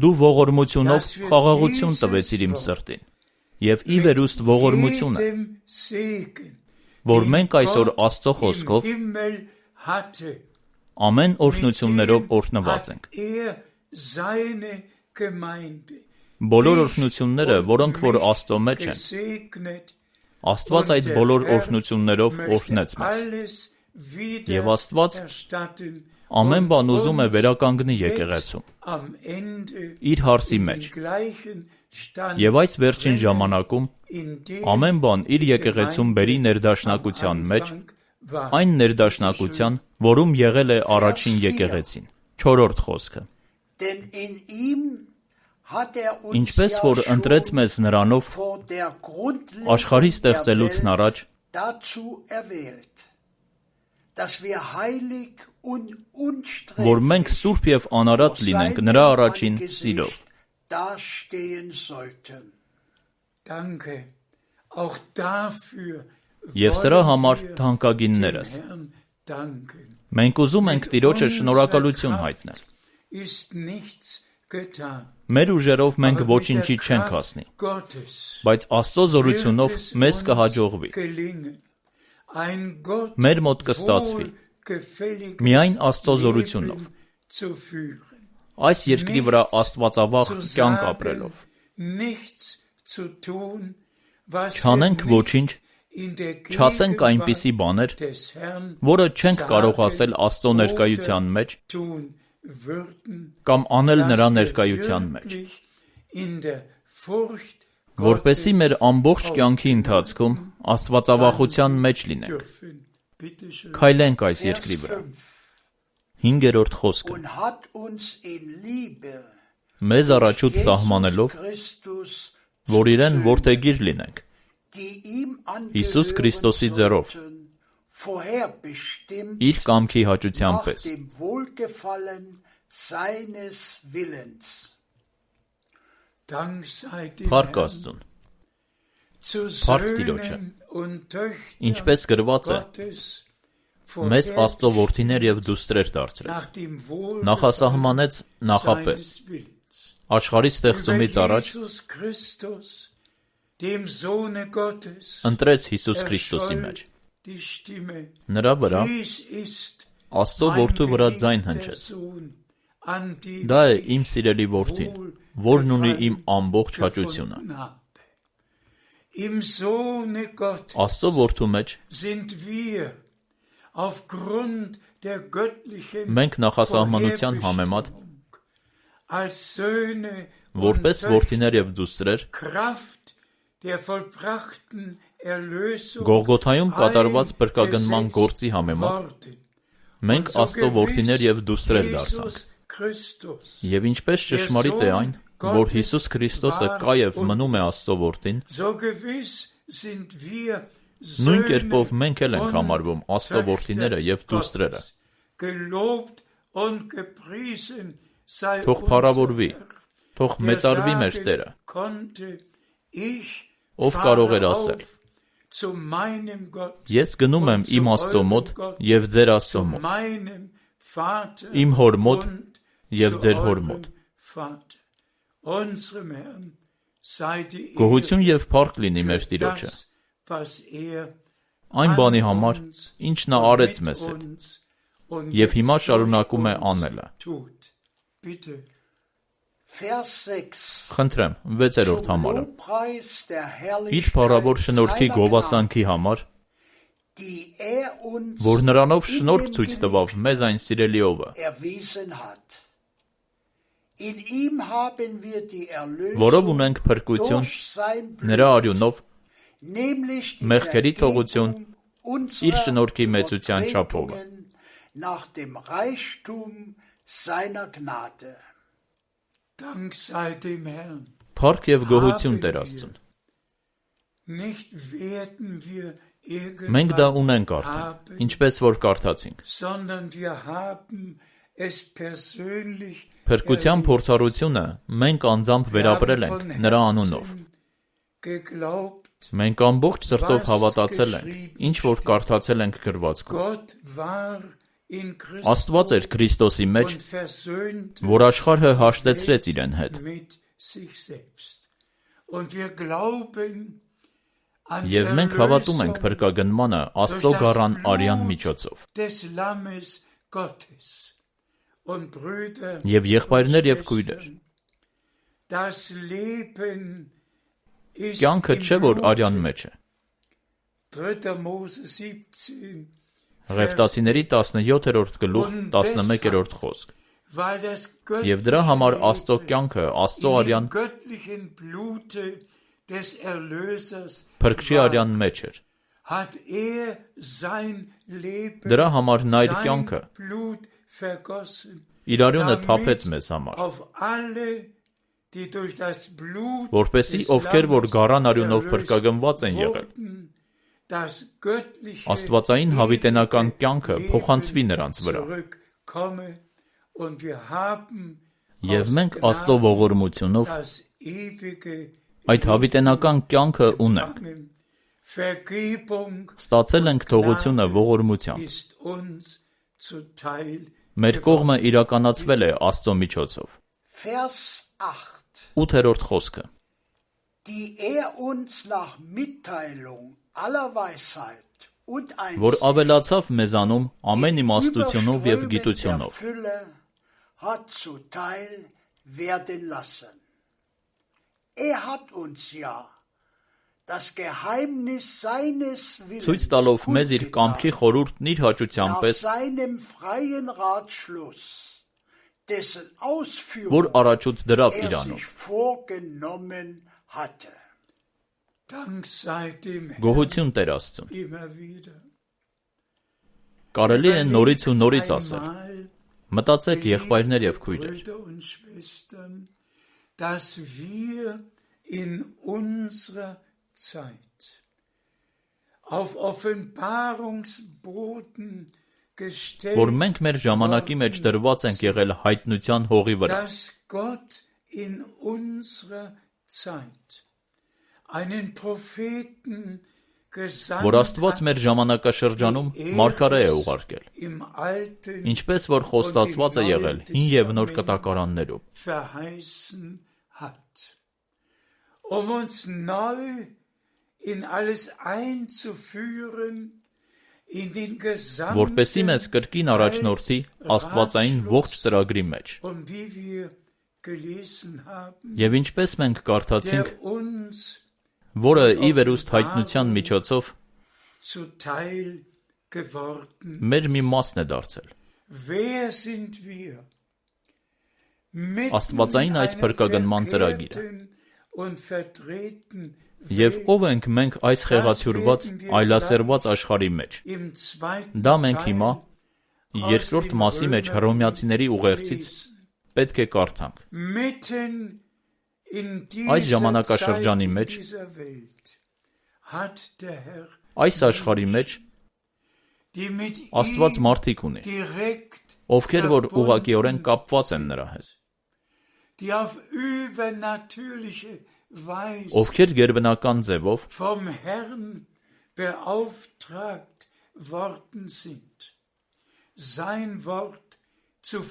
դու ողորմությունով խաղաղություն տվեցիր իմ սրտին, և ի վերուստ ողորմությունը, որ մենք այսօր Աստծո խոսքով ամեն օրհնություններով օրհնված ենք։ Բոլոր օրհնությունները, որոնք որ Աստծո մեջ են, Աստված այդ բոլոր օրհնություններով օրհնեց մեզ, և Աստված ամեն բան ուզում է վերականգնի եկեղեցում, իր հարսի մեջ, և այս վերջին ժամանակում ամեն բան իր եկեղեցում բերի ներդաշնակության մեջ, այն ներդաշնակության, որում եղել է առաջին եկեղեցին, չորրորդ խոսքը։ Ինչպես որ ընտրեց մեզ նրանով աշխարհի ստեղծելուց առաջ, որ մենք սուրբ և անարատ լինենք նրա առաջին սիրով։ Եվ սրա համար թանկագիններս, մենք ուզում ենք Տիրոջը շնորհակալություն հայտնել։ Մեր ուժերով մենք ոչինչի չենք հասնի, բայց Աստծո զորությունով մեզ կհաջողվի։ Մեր մոտ կստացվի, միայն Աստծո զորությունով, այս երկրի վրա աստվածավախ կյանք ապրելով։ Չանենք ոչինչ, չասենք այնպիսի բաներ, որը չենք կարող ասել Աստծո ներկայության մեջ, կամ անել նրա ներկայության մեջ, որպեսզի մեր ամբողջ կյանքի ընթացքում աստվածավախության մեջ լինենք։ Քայլենք այս երկրի վրա։ Հինգերորդ խոսքը. մեզ առաջուց սահմանելով, որ իրեն որդեգիր լինենք, Հիսուս Քրիստոսի ձեռով, իր կամքի հաճության պես։ Փառք Աստծուն, փառք Տիրոջը, ինչպես գրված է, մեզ Աստծո որդիներ և դուստրեր դարձրեց, նախասահմանեց նախապես, աշխարհի ստեղծումից առաջ, ընտրեց Հիսուս Քրիստոսի մեջ, նրա վրա Աստծո որդու վրա ձայն հնչեց, դա է իմ սիրելի որդին, որն ունի իմ ամբողջ հաճությունը։ Աստծո որդու մեջ մենք նախասահմանության համեմատ որպես որդիներ և դուստրեր Գողգոթայում կատարված փրկագնման գործի համեմատ մենք Աստծո որդիներ և դուստրեր դարձանք։ Եվ ինչպես ճշմարիտ է այն, որ Հիսուս Քրիստոսը կա և մնում է Աստծո որդին, նույն կերպով մենք էլ ենք համարվում Աստծո որդիները և դուստրերը։ Թող փառավորվի, թող մեծարվի մեր Տերը, ով կարող էր ասել. Ես գնում եմ իմ Աստծո մոտ և ձեր Աստծո մոտ, իմ հոր մոտ և ձեր հոր մոտ։ Գոհություն և փառք լինի մեր Տիրոջը, այն բանի համար, ինչ նա արեց մեզ հետ, և հիմա շարունակում է անելը։ Խնդրեմ, վեցերորդ համարը։ Իր փառավոր շնորհքի գովասանքի համար որ նրանով շնորհք ցույց տվավ մեզ այն սիրելիովը, որով ունենք փրկություն նրա արյունով, մեղքերի թողություն իր շնորհքի մեծության չափովը։ Փառք եւ գոհություն Տեր Աստծուն։ Մենք դա ունենք արդեն, ինչպես որ կարդացինք։ Փրկության փորձառությունը մենք անձամբ վերապրել ենք նրա անունով։ Մենք ամբողջ սրտով հավատացել ենք, ինչ որ կարդացել ենք գրվածքում։ Աստված էր Քրիստոսի մեջ, որ աշխարհը հաշտեցրեց իրեն հետ։ Եվ մենք հավատում ենք փրկագնմանը Աստծո գառան արյան միջոցով։ Եվ եղբայրներ եւ քույրեր, կյանքը չէ, որ արյան մեջ է։ Ղևտացիների տասնյոթերորդ գլուխ տասնմեկերորդ խոսք։ Եվ դրա համար Աստծո կյանքը, Աստծո արյան Փրկչի արյան մեջ էր։ Դրա համար նա իր կյանքը, իր արյունը թափեց մեզ համար, որպեսզի ովքեր որ գառան արյունով փրկագնված են եղել, աստվածային հավիտենական կյանքը փոխանցվի նրանց վրա։ Եվ մենք Աստծո ողորմությունով այդ հավիտենական կյանքը ունենք։ Ստացել ենք թողությունը ողորմությամբ։ Մեր կողմը իրականացվել է Աստծո միջոցով։ ութերորդ խոսքը։ Որ ավելացավ մեզանում ամեն իմաստությունով և գիտությունով։ Ցույց տալով մեզ իր կամքի խորհուրդն իր հաճության պես, որ առաջուց դրավ իրանում։ Գոհություն Տեր Աստծուն։ Կարելի է նորից ու նորից ասել, մտածեք եղբայրներ և քույրեր, որ մենք մեր ժամանակի մեջ դրված ենք եղել հայտնության հողի վրա, որ Աստված մեր ժամանակաշրջանում մարգարե է ուղարկել, ինչպես որ խոստացված է եղել հին և նոր կտակարաններում, որպեսզի մեզ կրկին առաջնորդի աստվածային ողջ ծրագրի մեջ։ Եվ ինչպես մենք կարդացինք, որը ի վերուստ հայտնության միջոցով մեր մի մասն է դարձել։ Աստվածային այս փրկագնման ծրագիրը։ Եվ ով ենք մենք այս խեղաթյուրված, այլասերված աշխարհի մեջ։ Դա մենք հիմա երկրորդ մասի մեջ Հռոմեացիների ուղերձից պետք է կարդանք։ Այս ժամանակաշրջանի մեջ, այս աշխարհի մեջ Աստված մարդիկ ունի, ովքեր որ ուղղակիորեն կապված են նրա հետ, ովքեր գերբնական ձևով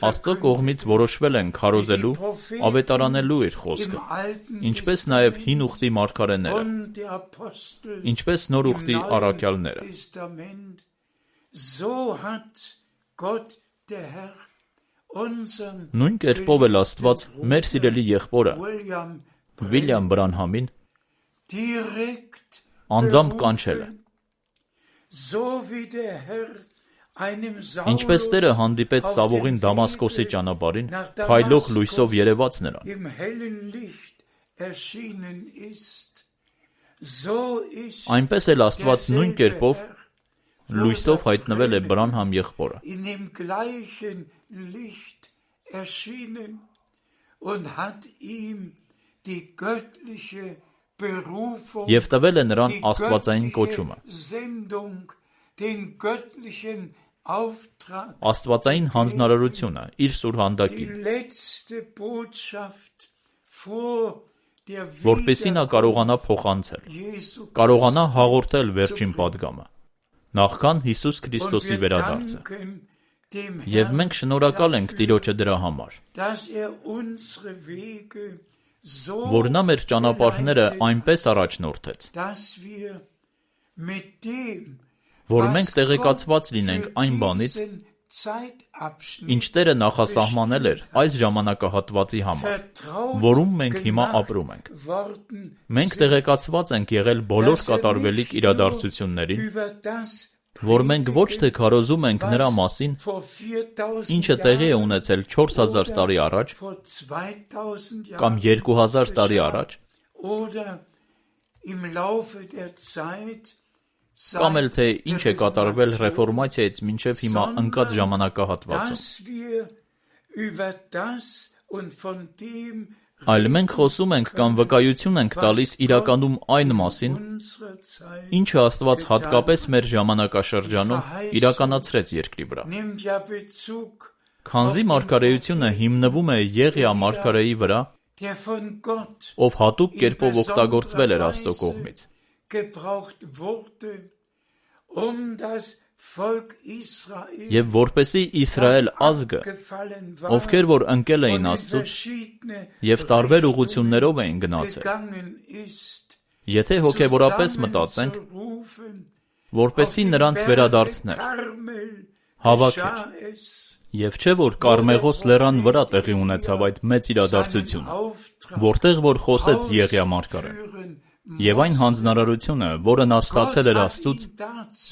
Աստծո կողմից որոշվել են քարոզելու, ավետարանելու իր խոսքը, ինչպես նաև հին ուխտի մարգարեները, ինչպես նոր ուխտի առաքյալները։ Նույն կերպով էլ Աստված մեր սիրելի եղբորը Վիլյամ Բրանհամին անձամբ կանչել է։ Ինչպես Տերը հանդիպեց Սավողին Դամասկոսի ճանապարհին, փայլող լույսով երևաց նրան, այնպես էլ Աստված նույն կերպով լույսով հայտնվել է Բրանհամ եղբորը և տվել է նրան աստվածային կոչումը, աստվածային հանձնարարությունը իր սուրհանդակին, որպեսզի նա կարողանա փոխանցել, կարողանա հաղորդել վերջին պատգամը, նախքան Հիսուս Քրիստոսի վերադարձը, և մենք շնորհակալ ենք Տիրոջը դրա համար, որ նա մեր ճանապարհները այնպես առաջնորդեց, որ մենք տեղեկացված լինենք այն բանից, ինչ Տերը նախասահմանել էր այս ժամանակահատվածի համար, որում մենք հիմա ապրում ենք։ Մենք տեղեկացված ենք եղել բոլոր կատարվելիք իրադարձություններին, որ մենք ոչ թե քարոզում ենք նրա մասին, ինչը տեղի է ունեցել չորս հազար տարի առաջ կամ երկու հազար տարի առաջ, կամ էլ թե ինչ է կատարվել ռեֆորմացիայից մինչև հիմա ընկած ժամանակահատվածում, այլ մենք խոսում ենք կամ վկայություն ենք տալիս իրականում այն մասին, ինչը Աստված հատկապես մեր ժամանակաշրջանում իրականացրեց երկրի վրա։ Քանզի մարգարեությունը հիմնվում է Եղիա մարգարեի վրա, ով հատուկ կերպով օգտագործվել էր Աստծո կողմից, և որպեսզի Իսրայել ազգը, ովքեր որ ընկել էին Աստծուց և տարբեր ուղղություններով էին գնացել, եթե հոգևորապես մտածենք, որպեսզի նրանց վերադարձներ, հավաքեր, և չէ որ Կարմեղոս լեռան վրա տեղի ունեցավ այդ մեծ իրադարձությունը, որտեղ որ խոսեց Եղիա մարգարեն, և այն հանձնարարությունը, որը նա ստացել էր Աստծուց,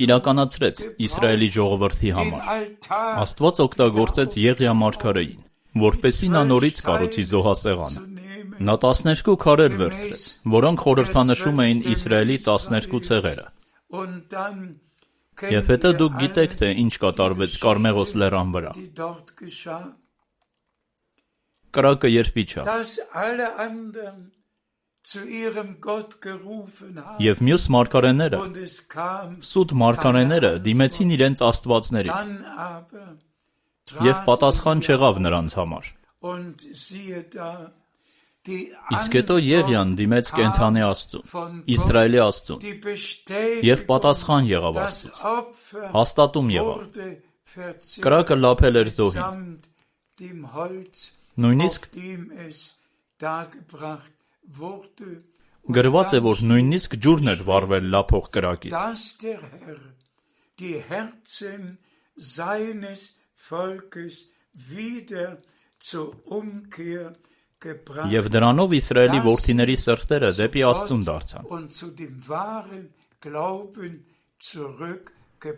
իրականացրեց Իսրայելի ժողովրդի համար։ Աստված օգտագործեց Եղիա մարգարեին, որպեսզի նա նորից կառուցի զոհասեղանը։ Նա տասներկու քարեր վերցրեց, որոնք խորհրդանշում էին Իսրայելի տասներկու ցեղերը։ Եվ հետո դուք գիտեք, թե ինչ կատարվեց Կարմեղոս լեռան վրա։ Կրակը երբ իջավ, և մյուս մարգարեները, սուտ մարգարեները դիմեցին իրենց աստվածներին, և պատասխան չեղավ նրանց համար։ Իսկ հետո Եղիան դիմեց կենդանի Աստծուն, Իսրայելի Աստծուն, և պատասխան եղավ Աստծուց, հաստատում եղավ։ Կրակը լափել էր զոհին, նույնիսկ գրված է, որ նույնիսկ ջուրն էր վառվել լափող կրակից։ Եվ դրանով Իսրայելի որդիների սրտերը դեպի Աստծուն դարձան։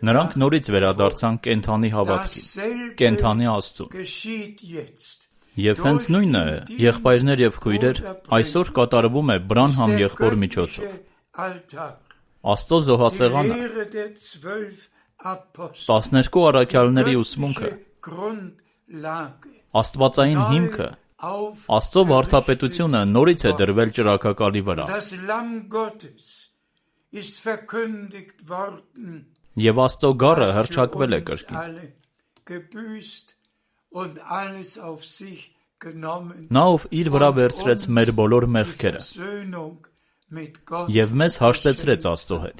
Նրանք նորից վերադարձան կենդանի հավատքին, կենդանի Աստծուն։ Եվ հենց նույնը, եղբայրներ և քույրեր, այսօր կատարվում է Բրանհամ եղբոր միջոցով։ Աստծո զոհասեղանը, տասներկու առաքյալների ուսմունքը, աստվածային հիմքը, Աստծո վարդապետությունը նորից է դրվել ճրագակալի վրա։ Եվ Աստծո գառը հռչակվել է կրկին։ Նա, ով իր վրա վերցրեց մեր բոլոր մեղքերը և մեզ հաշտեցրեց Աստծո հետ։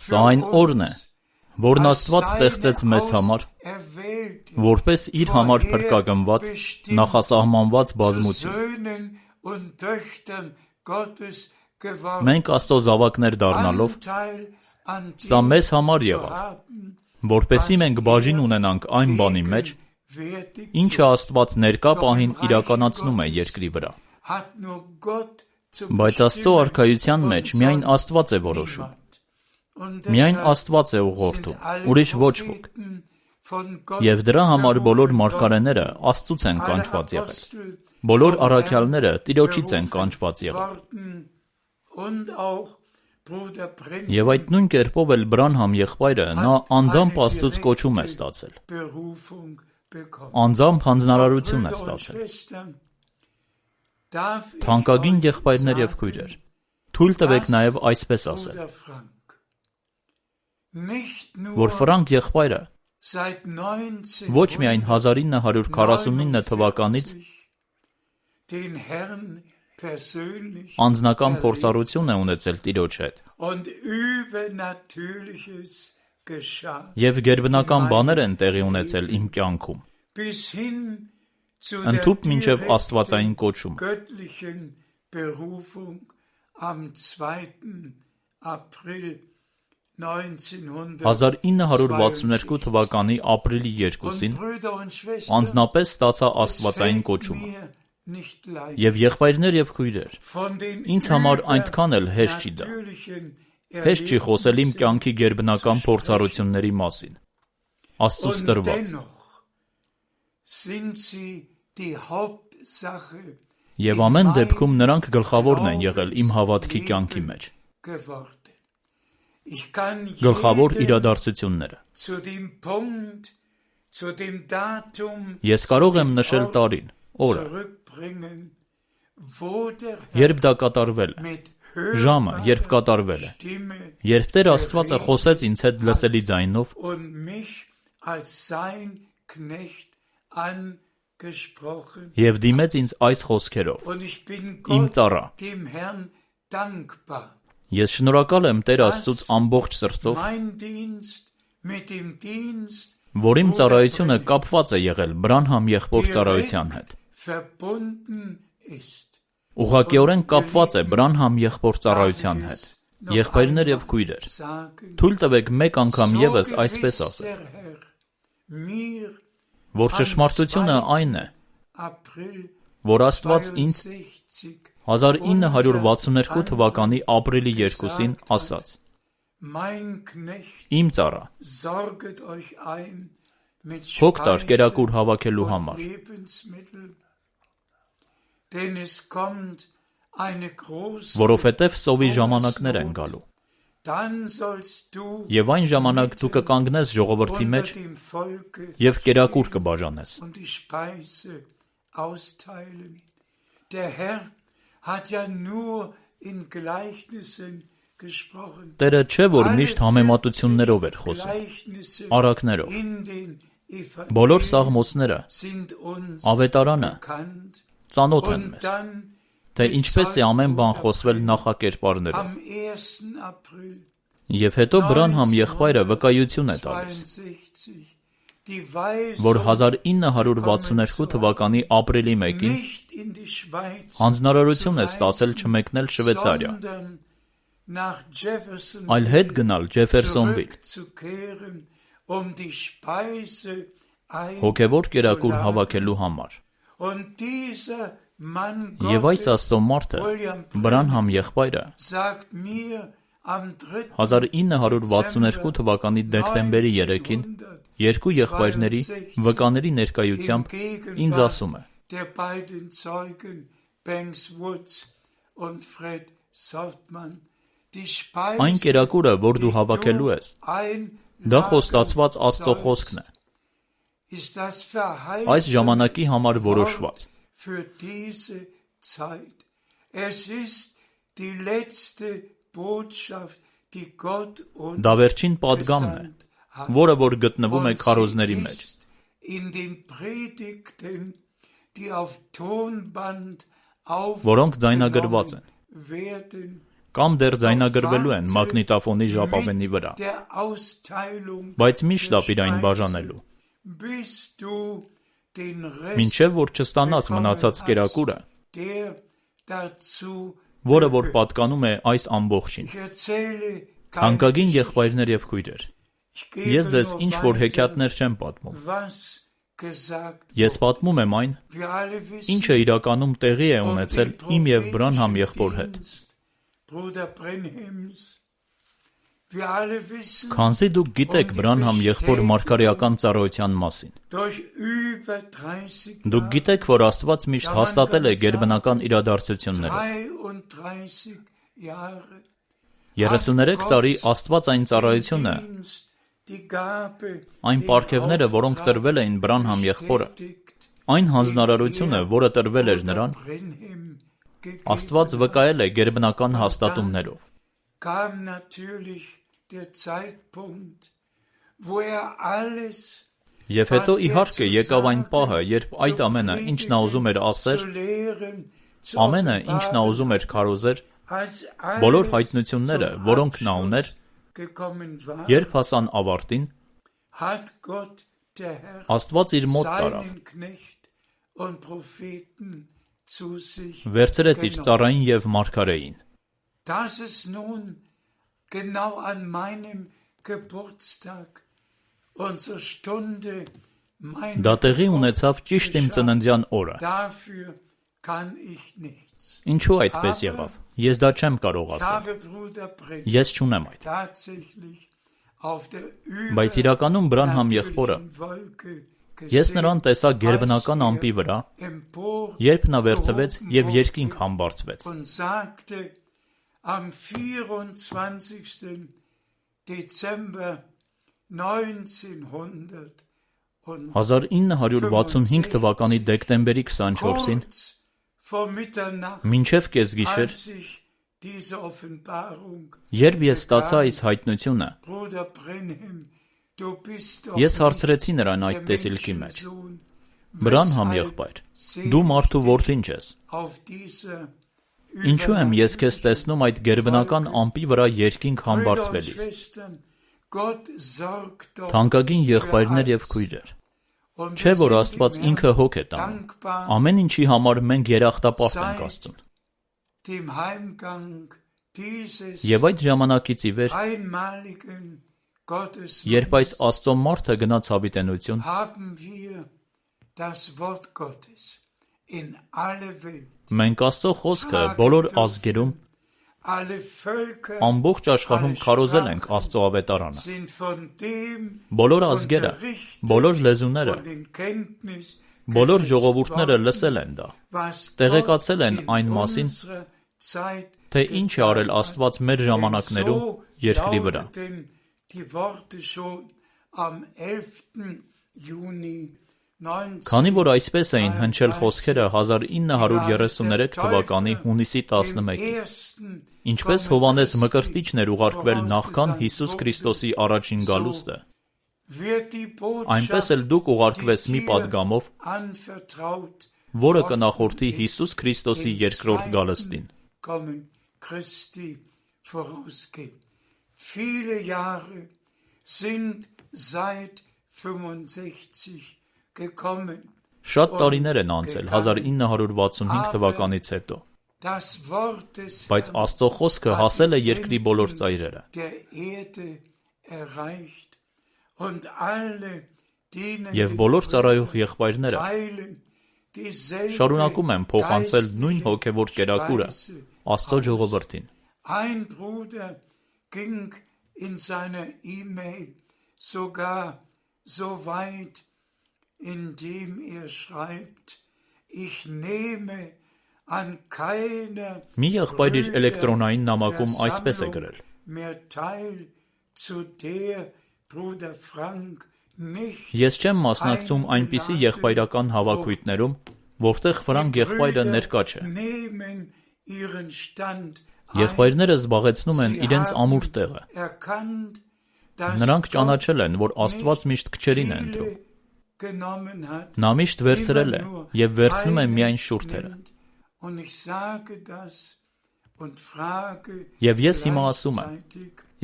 Սա այն օրն է, որն Աստված ստեղծեց մեզ համար, որպես իր համար փրկագնված, նախասահմանված բազմություն։ Մենք Աստծո զավակներ դառնալով, սա մեզ համար եղավ, որպեսզի մենք բաժին ունենանք այն բանի մեջ, ինչը Աստված ներկա պահին իրականացնում է երկրի վրա։ Բայց Աստծո արքայության մեջ միայն Աստված է որոշում։ Միայն Աստված է ուղղորդում, ուրիշ ոչ ոք։ Եվ դրա համար բոլոր մարգարեները Աստծուց են կանչված եղել։ Բոլոր առաքյալները Տիրոջից են կանչված եղել։ Եվ այդ նույն կերպով էլ Բրանհամ եղբայրը նա անձամբ Աստծուց կոչում է ստացել։ Անձամբ հանձնարարություն է ստացել։ Թանկագին եղբայրներ եւ քույրեր, թույլ տվեք նաեւ այսպես ասել, որ Ֆրանկ եղբայրը ոչ միայն հազար ինը հարյուր քառասունինը թվականից անձնական փորձառություն է ունեցել Տիրոջ հետ եւ գերբնական բաներ են տեղի ունեցել իմ կյանքում, ընդհուպ մինչև աստվածային կոչում։ հազար ինը հարյուր վաթսուններկու թվականի ապրիլի երկուսին անձնապես ստացա աստվածային կոչումը։ Եվ եղբայրներ եւ քույրեր, ինձ համար այնքան էլ հեշտ չի դա։ Հեշտ չի խոսել իմ կյանքի գերբնական փորձառությունների մասին։ Աստծուց տրված։ Եվ ամեն դեպքում նրանք գլխավորն են եղել իմ հավատքի կյանքի մեջ։ Գլխավոր իրադարձությունները։ Ես կարող եմ նշել տարին, օրը, երբ դա կատարվել է, ժամը, երբ կատարվել է, երբ Տեր Աստվածը խոսեց ինձ հետ լսելի ձայնով եւ դիմեց ինձ այս խոսքերով. Իմ ծառա, ես շնորհակալ եմ Տեր Աստծուց ամբողջ սրտով, որ իմ ծառայությունը կապված է եղել Բրանհամ եղբոր ծառայության հետ։ Ուղղակիորեն կապված է Բրանհամ եղբոր ծառայության հետ։ Եղբայրներ եւ քույրեր, թույլ տվեք մեկ անգամ եւս այսպես ասել, որ ճշմարտությունը այն է, որ Աստված ինձ հազար ինը հարյուր վաթսուններկու թվականի ապրիլի երկուսին ասաց. Իմ ծառա, հոգ տար կերակուր հավաքելու համար, որովհետև սովի ժամանակներ են գալու։ Եվ այն ժամանակ դու կկանգնես ժողովրդի մեջ և կերակուր կբաժանես։ Տերը չէ, որ միշտ համեմատություններով էր խոսում, առակներով։ Բոլոր սաղմոսները, ավետարանը ծանոթ են մեզ, թե ինչպես է ամեն բան խոսվել նախակերպարներով։ Եվ հետո Բրանհամ եղբայրը վկայություն է տալիս, որ հազար ինը հարյուր վաթսուններկու թվականի ապրիլի մեկին հանձնարարություն է ստացել չմեկնել Շվեյցարիա, այլ հետ գնալ Ջեֆերսոնվիլ, հոգևոր կերակուր հավաքելու համար։ Եվ այս Աստծո մարդը, Բրանհամ եղբայրը, հազար ինը հարյուր վաթսուններկու թվականի դեկտեմբերի երեքին երկու եղբայրների վկաների ներկայությամբ ինձ ասում է. Այն կերակուրը, որ դու հավաքելու ես, դա խոստացված Աստծո խոսքն է, այս ժամանակի համար որոշված։ Դա վերջին պատգամն է, որը որ գտնվում է քարոզների մեջ, որոնք ձայնագրված են, կամ դեռ ձայնագրվելու են մագնիտոֆոնի ժապավենի վրա, բայց մի շտապ իր այն բաժանելու, մինչև որ չստանաս մնացած կերակուրը, որը որ պատկանում է այս ամբողջին։ Թանկագին եղբայրներ եւ քույրեր, ես ձեզ ինչ որ հեքիաթներ չեմ պատմում, Ես պատմում եմ այն, ինչը իրականում տեղի է ունեցել իմ և Բրանհամ եղբոր հետ։ Քանզի դուք գիտեք Բրանհամ եղբոր մարգարեական ծառայության մասին։ Դուք գիտեք, որ Աստված միշտ հաստատել է գերբնական իրադարձությունները։ երեսուներեք տարի Աստված այն ծառայությունը, այն պարգևները, որոնք տրվել էին Բրանհամ եղբորը, այն հանձնարարությունը, որը տրվել էր նրան, Աստված վկայել է գերբնական հաստատումներով։ Եվ հետո իհարկե եկավ այն պահը, երբ այդ ամենը, ինչ նա ուզում էր ասեր, ամենը, ինչ նա ուզում էր քարոզեր, բոլոր հայտնությունները, որոնք նա ուներ, երբ հասան ավարտին, Աստված իր մոտ տարավ, վերցրեց իր ծառային և մարգարեին։ Դա տեղի ունեցավ ճիշտ իմ ծննդյան օրը։ Ինչու այդպես եղավ։ Ես դա չեմ կարող ասել։ Ես չունեմ այդ։ Բայց իրականում Բրանհամ եղբորը, ես նրան տեսա գերբնական ամպի վրա, երբ նա վերցվեց և երկինք համբարձվեց։ հազար ինը հարյուր վաթսունհինգ թվականի դեկտեմբերի քսանչորսին, մինչև կեսգիշեր, երբ ես ստացա այս հայտնությունը, ես հարցրեցի նրան այդ տեսիլքի մեջ. Բրանհամ եղբայր, դու մարդու որդին ես։ Ինչու եմ ես քեզ տեսնում այդ գերբնական ամպի վրա երկինք համբարձվելիս։ Թանկագին եղբայրներ և քույրեր, չէ՞ որ Աստված ինքը հոգ է տանում, ամեն ինչի համար մենք երախտապարտ ենք Աստծուն։ Եվ այդ ժամանակից ի վեր, երբ այս Աստծո մարդը գնաց հավիտենություն, մենք Աստծո խոսքը բոլոր ազգերում, ամբողջ աշխարհում քարոզել ենք Աստծո ավետարանը։ Բոլոր ազգերը, բոլոր լեզուները, բոլոր ժողովուրդները լսել են դա, տեղեկացել են այն մասին, թե ինչ է արել Աստված մեր ժամանակներում երկրի վրա։ Քանի որ այսպես էին հնչել խոսքերը հազար ինը հարյուր երեսուներեք թվականի հունիսի տասնմեկին, ինչպես Հովհաննես Մկրտիչն էր ուղարկվել նախքան Հիսուս Քրիստոսի առաջին գալուստը, այնպես էլ դուք ուղարկվեց մի պատգամով, որը կնախորդի Հիսուս Քրիստոսի երկրորդ գալստին։ Շատ տարիներ են անցել հազար ինը հարյուր վաթսունհինգ թվականից հետո, բայց Աստծո խոսքը հասել է երկրի բոլոր ծայրերը։ Եվ բոլոր ծառայող եղբայրները շարունակում են փոխանցել նույն հոգևոր կերակուրը Աստծո ժողովրդին։ Մի եղբայր իր էլեկտրոնային նամակում այսպես է գրել. Ես չեմ մասնակցում այնպիսի եղբայրական հավաքույթներում, որտեղ Ֆրանկ եղբայրը ներկա չէ։ Եղբայրները զբաղեցնում են իրենց ամուր տեղը։ Նրանք ճանաչել են, որ Աստված միշտ քչերին է ընտրում։ Նա միշտ վերցրել է և վերցնում է միայն շուրթերը։ Եվ ես հիմա ասում եմ,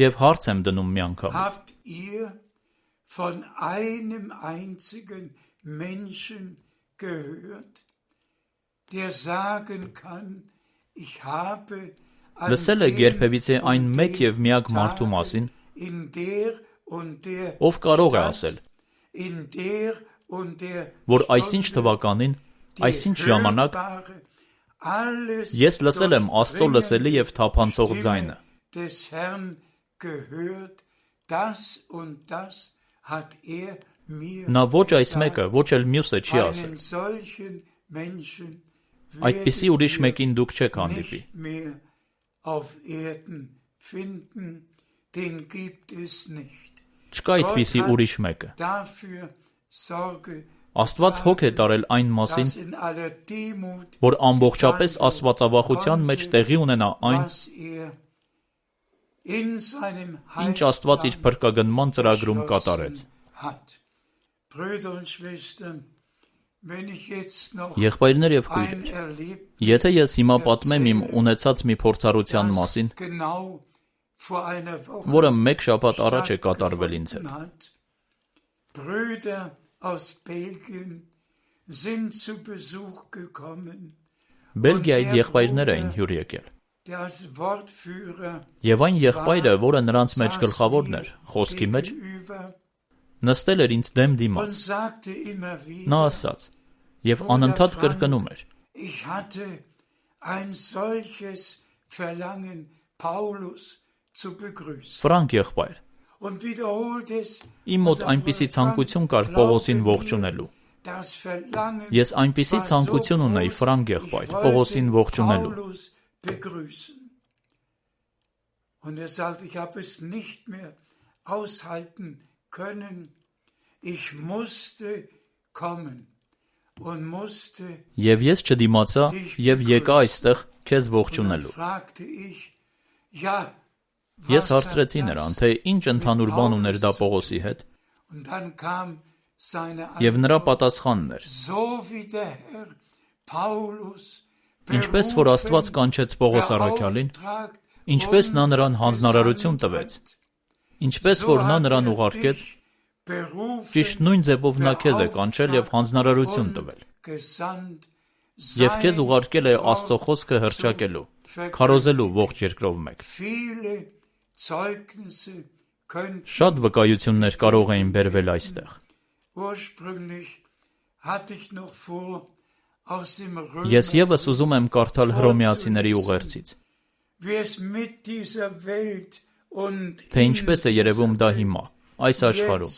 և հարց եմ դնում միանգամից. Լսել եք երբևիցե այն մեկ և միակ մարդու մասին, ով կարող է ասել. որ այսինչ թվականին, այսինչ ժամանակ ես լսել եմ Աստծո լսելի և թափանցող ձայնը։ Նա ոչ այս մեկը, ոչ էլ մյուսը չի ասել։ Այդպիսի ուրիշ մեկին դուք չեք հանդիպի։ Չկա այդպիսի ուրիշ մեկը։ Աստված հոգ է տարել այն մասին, որ ամբողջապես աստվածավախության մեջ տեղի ունենա այն, ինչ Աստված իր փրկագնման ծրագրում կատարեց։ Եղբայրներ և քույրեր, եթե ես հիմա պատմեմ իմ ունեցած մի փորձառության մասին, որը մեկ շաբաթ առաջ է կատարվել ինձ հետ։ Բելգիայից եղբայրներ էին հյուր եկել։ Եվ այն եղբայրը, որը նրանց մեջ գլխավորն էր, խոսքի մեջ, նստել էր ինձ դեմ դիմաց։ Նա ասաց և անընդհատ կրկնում էր. Ֆրանկ եղբայր, իմ մոտ այնպիսի ցանկություն կար Պողոսին ողջունելու։ Ես այնպիսի ցանկություն ունեի Ֆրանկ եղբայր, Պողոսին ողջունելու։ Եվ ես չդիմացա և եկա այստեղ քեզ ողջունելու։ Ես հարցրեցի նրան, թե ինչ ընդհանուր բան ուներ դա Պողոսի հետ, և նրա պատասխանն էր. Ինչպես որ Աստված կանչեց Պողոս առաքյալին, ինչպես նա նրան հանձնարարություն տվեց, ինչպես որ նա նրան ուղարկեց, ճիշտ նույն ձևով նա քեզ է կանչել և հանձնարարություն տվել, և քեզ ուղարկել է Աստծո խոսքը հռչակելու, քարոզելու ողջ երկրով մեկ։ Շատ վկայություններ կարող էին բերվել այստեղ։ Ես ևս ուզում եմ կարդալ Հռոմեացիների ուղերձից, թե ինչպես է երևում դա հիմա, այս աշխարհում։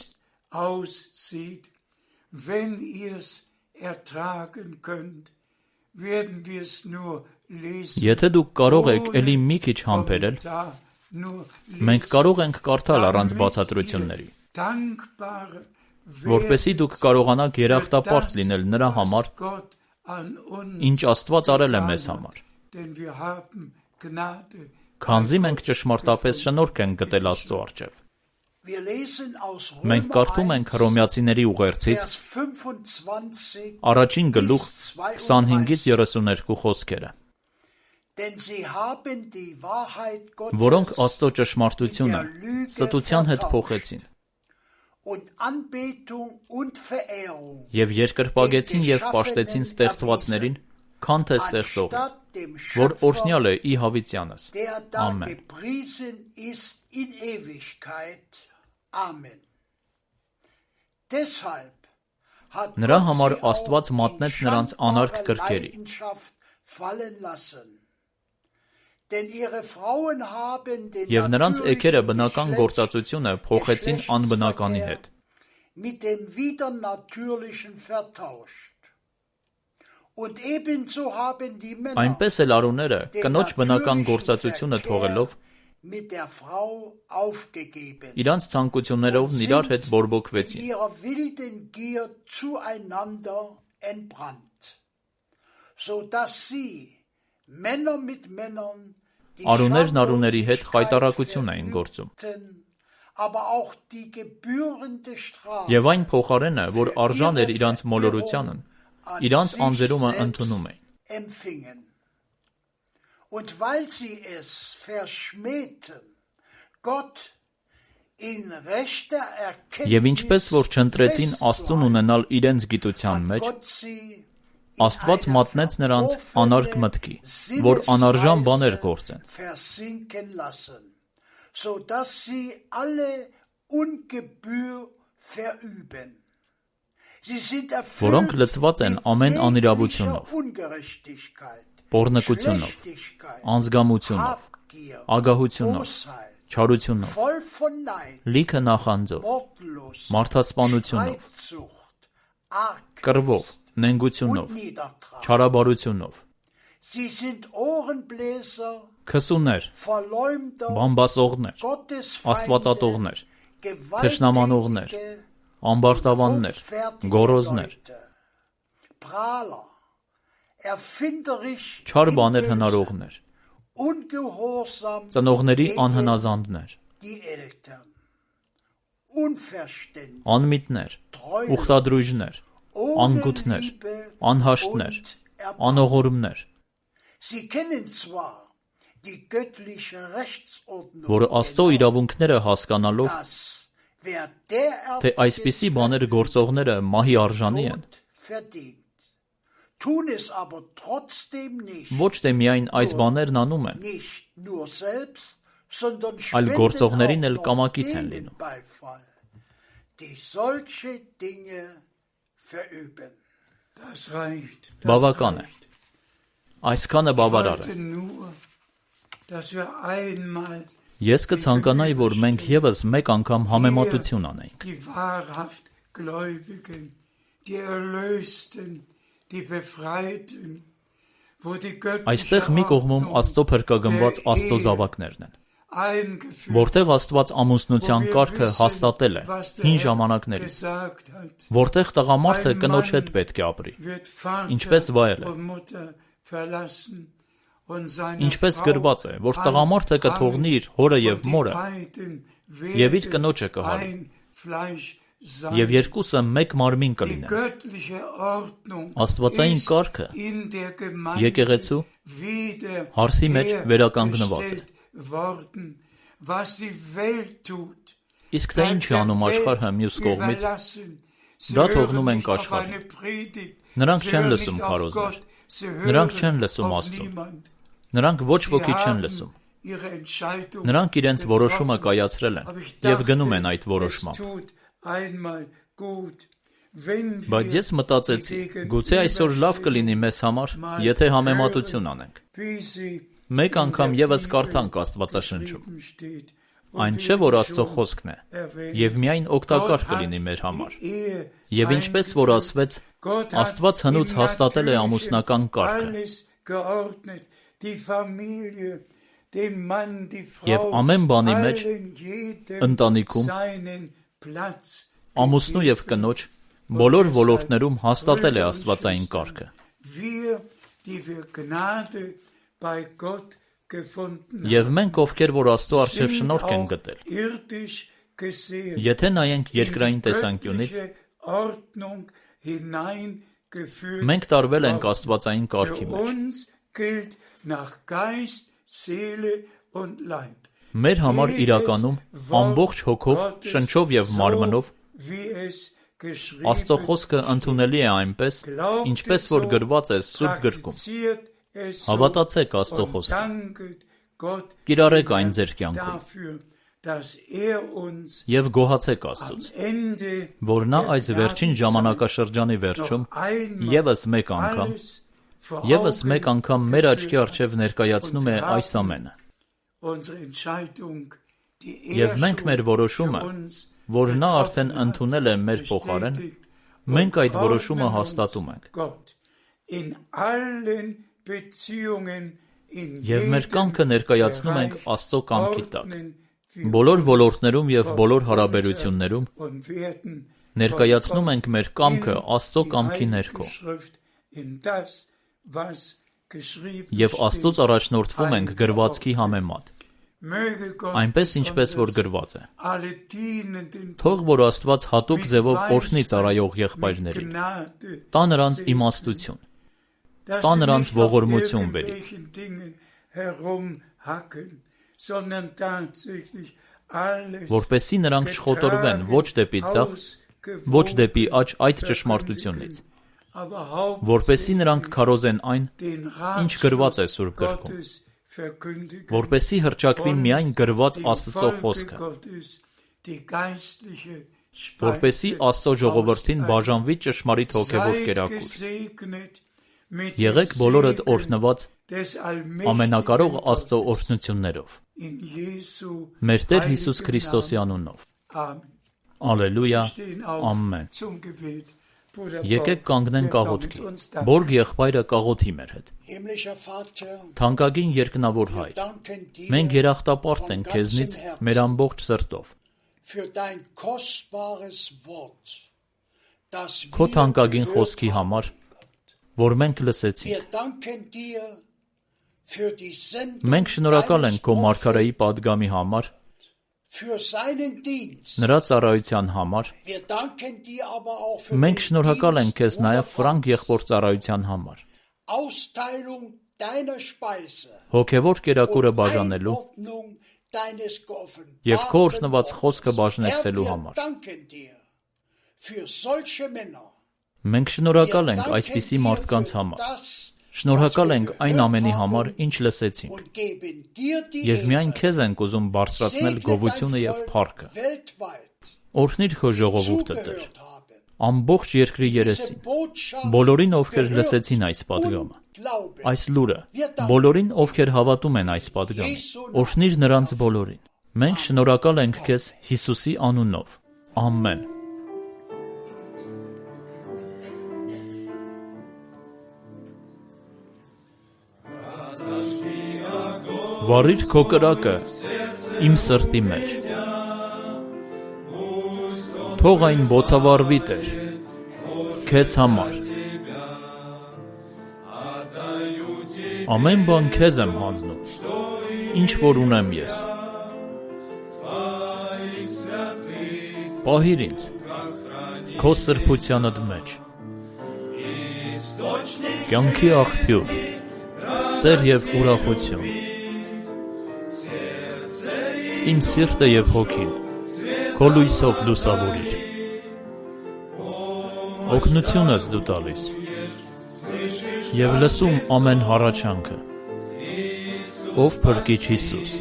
Եթե դուք կարող եք էլի մի քիչ համբերել, մենք կարող ենք կարդալ առանց բացատրությունների, որպեսզի դուք կարողանաք երախտապարտ լինել նրա համար, ինչ Աստված արել է մեզ համար, քանզի մենք ճշմարտապես շնորհք ենք գտել Աստծո առջև։ Մենք կարդում ենք Հռոմեացիների ուղերձից առաջին գլուխ քսանհինգից երեսուներկու խոսքերը, որոնք Աստծո ճշմարտությունը ստության հետ փոխեցին և երկրպագեցին և պաշտեցին ստեղծվածներին, քան թե ստեղծողին, որ օրհնյալ է ի հավիտյանս։ Ամեն։ Նրա համար Աստված մատնեց նրանց անարգ կրքերի, և նրանց էգերը բնական գործածությունը փոխեցին անբնականի հետ, այնպես էլ արուները կնոջ բնական գործածությունը թողելով, իրանց ցանկություններով իրար հետ բորբոքվեցին, արուներն արուների հետ խայտառակություն էին գործում, և այն փոխարենը, որ արժան էր իրանց մոլորությանն, իրանց անձերումը ընդունում էին։ Und weil sie es verschmähten, Gott in rechter Erkenntnis, և ինչպես որ չընտրեցին Աստծուն ունենալ իրենց գիտության մեջ, Աստված մատնեց նրանց անարգ մտքի, որ անարժան բաներ գործեն, որոնք լցված են ամեն անիրավությունով, պոռնկությունով, անզգամությունով, ագահությունով, չարությունով, լիքը նախանձով, մարդասպանությունով, կռվով, նենգությունով, չարաբարությունով, քսուներ, բամբասողներ, աստվածատողներ, թշնամանողներ, ամբարտավաններ, գոռոզներ, չար բաներ հնարողներ, ծնողների անհնազանդներ, անմիտներ, ուխտադրույժներ, անգութներ, անհաշտներ, անողորմներ, որը Աստծո իրավունքները հասկանալով, թե այսպիսի բաներ գործողները մահի արժանի են, ոչ թե միայն այս բաներն անում են, այլ գործողներին էլ կամակից են լինում։ Բավական է։ Այսքանը բավարար է։ Ես կցանկանայի, որ մենք ևս մեկ անգամ համեմատություն անենք։ Այստեղ մի կողմում Աստծո փրկագնված Աստծո զավակներն են, որտեղ Աստված ամուսնության կարգը հաստատել է հին ժամանակներից, որտեղ տղամարդը կնոջ հետ պետք է ապրի, ինչպես վայել է, ինչպես գրված է, որ տղամարդը կթողնի իր հորը և մորը և իր կնոջը կհարի, և երկուսը մեկ մարմին կլինեն։ Աստվածային կարգը եկեղեցու հարցի մեջ վերականգնված է։ Իսկ թե ինչ է անում աշխարհը մյուս կողմից, դա թողնում ենք աշխարհին։ Նրանք չեն լսում քարոզներ, նրանք չեն լսում Աստծուն, նրանք ոչ ոքի չեն լսում, նրանք իրենց որոշումը կայացրել են և գնում են այդ որոշմամբ։ Բայց ես մտածեցի, գուցե այսօր լավ կլինի մեզ համար, եթե համեմատություն անենք։ Մեկ անգամ ևս կարդանք Աստվածաշնչում։ Այն չէ, որ Աստծո խոսքն է, և միայն օգտակար կլինի մեր համար։ Եվ ինչպես որ ասվեց, Աստված հնուց հաստատել է ամուսնական կարգը։ Եվ ամեն բանի մեջ, ընտանիքում, ամուսնու և կնոջ, բոլոր ոլորտներում հաստատել է աստվածային կարգը։ Եվ մենք, ովքեր որ Աստծո առջև շնորհք են գտել, եթե նայենք երկրային տեսանկյունից, մենք տարվել ենք աստվածային կարգի մեջ։ Մեր համար իրականում ամբողջ հոգով, շնչով և մարմնով Աստծո խոսքը ընդունելի է այնպես, ինչպես որ գրված է Սուրբ գրքում։ Հավատացեք Աստծո խոսքին, կիրառեք այն ձեր կյանքում և գոհացեք Աստծուց, որ նա այս վերջին ժամանակաշրջանի վերջում ևս մեկ անգամ, ևս մեկ անգամ մեր աչքի առջև ներկայացնում է այս ամենը։ Եվ մենք մեր որոշումը, որ նա արդեն ընդունել է մեր փոխարեն, մենք այդ որոշումը հաստատում ենք։ Եվ մեր կամքը ներկայացնում ենք Աստծո կամքի տակ։ Բոլոր ոլորտներում և բոլոր հարաբերություններում ներկայացնում ենք մեր կամքը Աստծո կամքի ներքո։ Եվ Աստծուց առաջնորդվում ենք գրվածքի համեմատ, այնպես ինչպես որ գրված է։ Թող որ Աստված հատուկ ձևով օրհնի ծառայող եղբայրներին, տա նրանց իմաստություն, տա նրանց ողորմություն բերից, որպեսզի նրանք չխոտորվեն ոչ դեպի ձախ, ոչ դեպի աջ այդ ճշմարտությունից, որպեսզի նրանք քարոզեն այն, ինչ գրված է Սուրբ գրքում, որպեսզի հռչակվի միայն գրված Աստծո խոսքը, որպեսզի Աստծո ժողովրդին բաժանվի ճշմարիտ հոգևոր կերակուր։ Եղեք բոլորդ օրհնված ամենակարող Աստծո օրհնություններով։ Մեր Տեր Հիսուս Քրիստոսի անունով։ Ալելույա, ամեն։ Եկեք կանգնենք աղոթքի։ Բորգ եղբայրը կաղոթի մեր հետ։ Թանկագին երկնավոր Հայր, մենք երախտապարտ ենք քեզնից մեր ամբողջ սրտով։ Քո թանկագին խոսքի համար, որ մենք լսեցինք։ Մենք շնորհակալ ենք քո մարգարեի պատգամի համար, նրա ծառայության համար։ Մենք շնորհակալ ենք քեզ նաև Ֆրանկ եղբոր ծառայության համար, հոգևոր կերակուրը բաժանելու և քո օրհնված խոսքը բաժնեկցելու համար։ Մենք շնորհակալ ենք այսպիսի մարդկանց համար։ Շնորհակալ ենք այն ամենի համար, ինչ լսեցինք, և միայն քեզ ենք ուզում բարձրացնել գովությունը և փառքը։ Օրհնիր քո ժողովուրդը, Տեր, ամբողջ երկրի երեսին, բոլորին, ովքեր լսեցին այս պատգամը, այս լուրը, բոլորին, ովքեր հավատում են այս պատգամին, օրհնիր նրանց բոլորին։ Մենք շնորհակալ ենք քեզ Հիսուսի անունով։ Ամեն։ Վառիր քո կրակը իմ սրտի մեջ։ Թող այն բոցավառվի, Տեր, քեզ համար։ Ամեն բան քեզ եմ հանձնում, ինչ որ ունեմ ես։ Պահիր ինձ քո սրբությանդ մեջ։ Կյանքի աղբյուր, սեր և ուրախություն։ Իմ սիրտը և հոգին քո լույսով լուսավորիր։ Օգնությունս դու տալիս և լսում ամեն հառաչանքը, ով փրկիչ Հիսուս,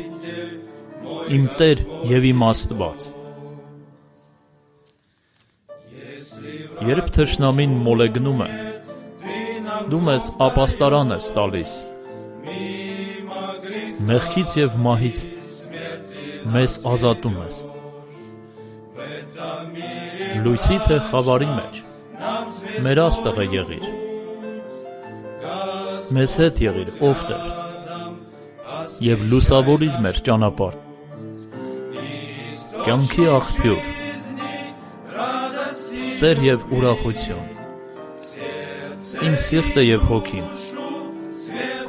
իմ Տեր և իմ Աստված։ Երբ թշնամին մոլեգնում է, դու մեզ ապաստարան ես տալիս, մեղքից և մահից մեզ ազատում ես։ Լույսի թե խավարի մեջ մեր աստղը եղիր, մեզ հետ եղիր, ով Տեր, և լուսավորիր մեր ճանապարհ։ Կյանքի աղբյուր, սեր և ուրախություն, իմ սիրտը և հոգին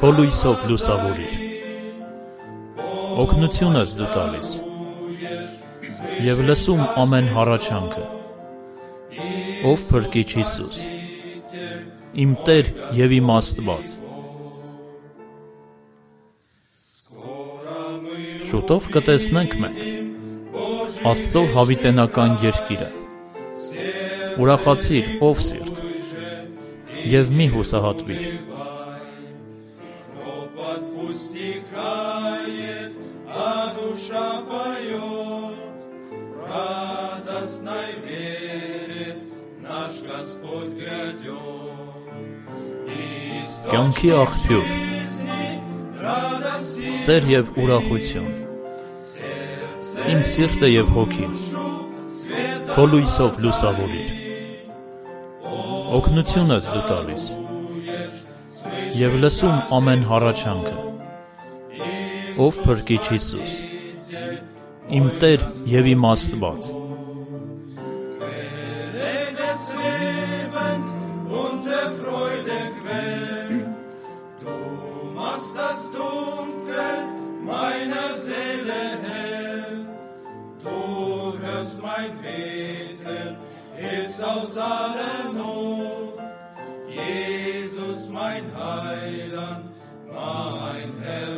քո լույսով լուսավորիր։ Օգնությունս դու տալիս և լսում ամեն հառաչանքը, ով փրկիչ Հիսուս, իմ Տեր և իմ Աստված։ Շուտով կտեսնենք մենք Աստծո հավիտենական երկիրը։ Ուրախացիր, ով սիրտ, և մի հուսահատվիր։ Կյանքի աղբյուր, սեր և ուրախություն, իմ սիրտը և հոգին քո լույսով լուսավորիր։ Օգնությունս դու տալիս և լսում ամեն հառաչանքը, ով փրկիչ Հիսուս, իմ Տեր և իմ Աստված։ Aus aller Not, Jesus mein Heiland, mein Herr.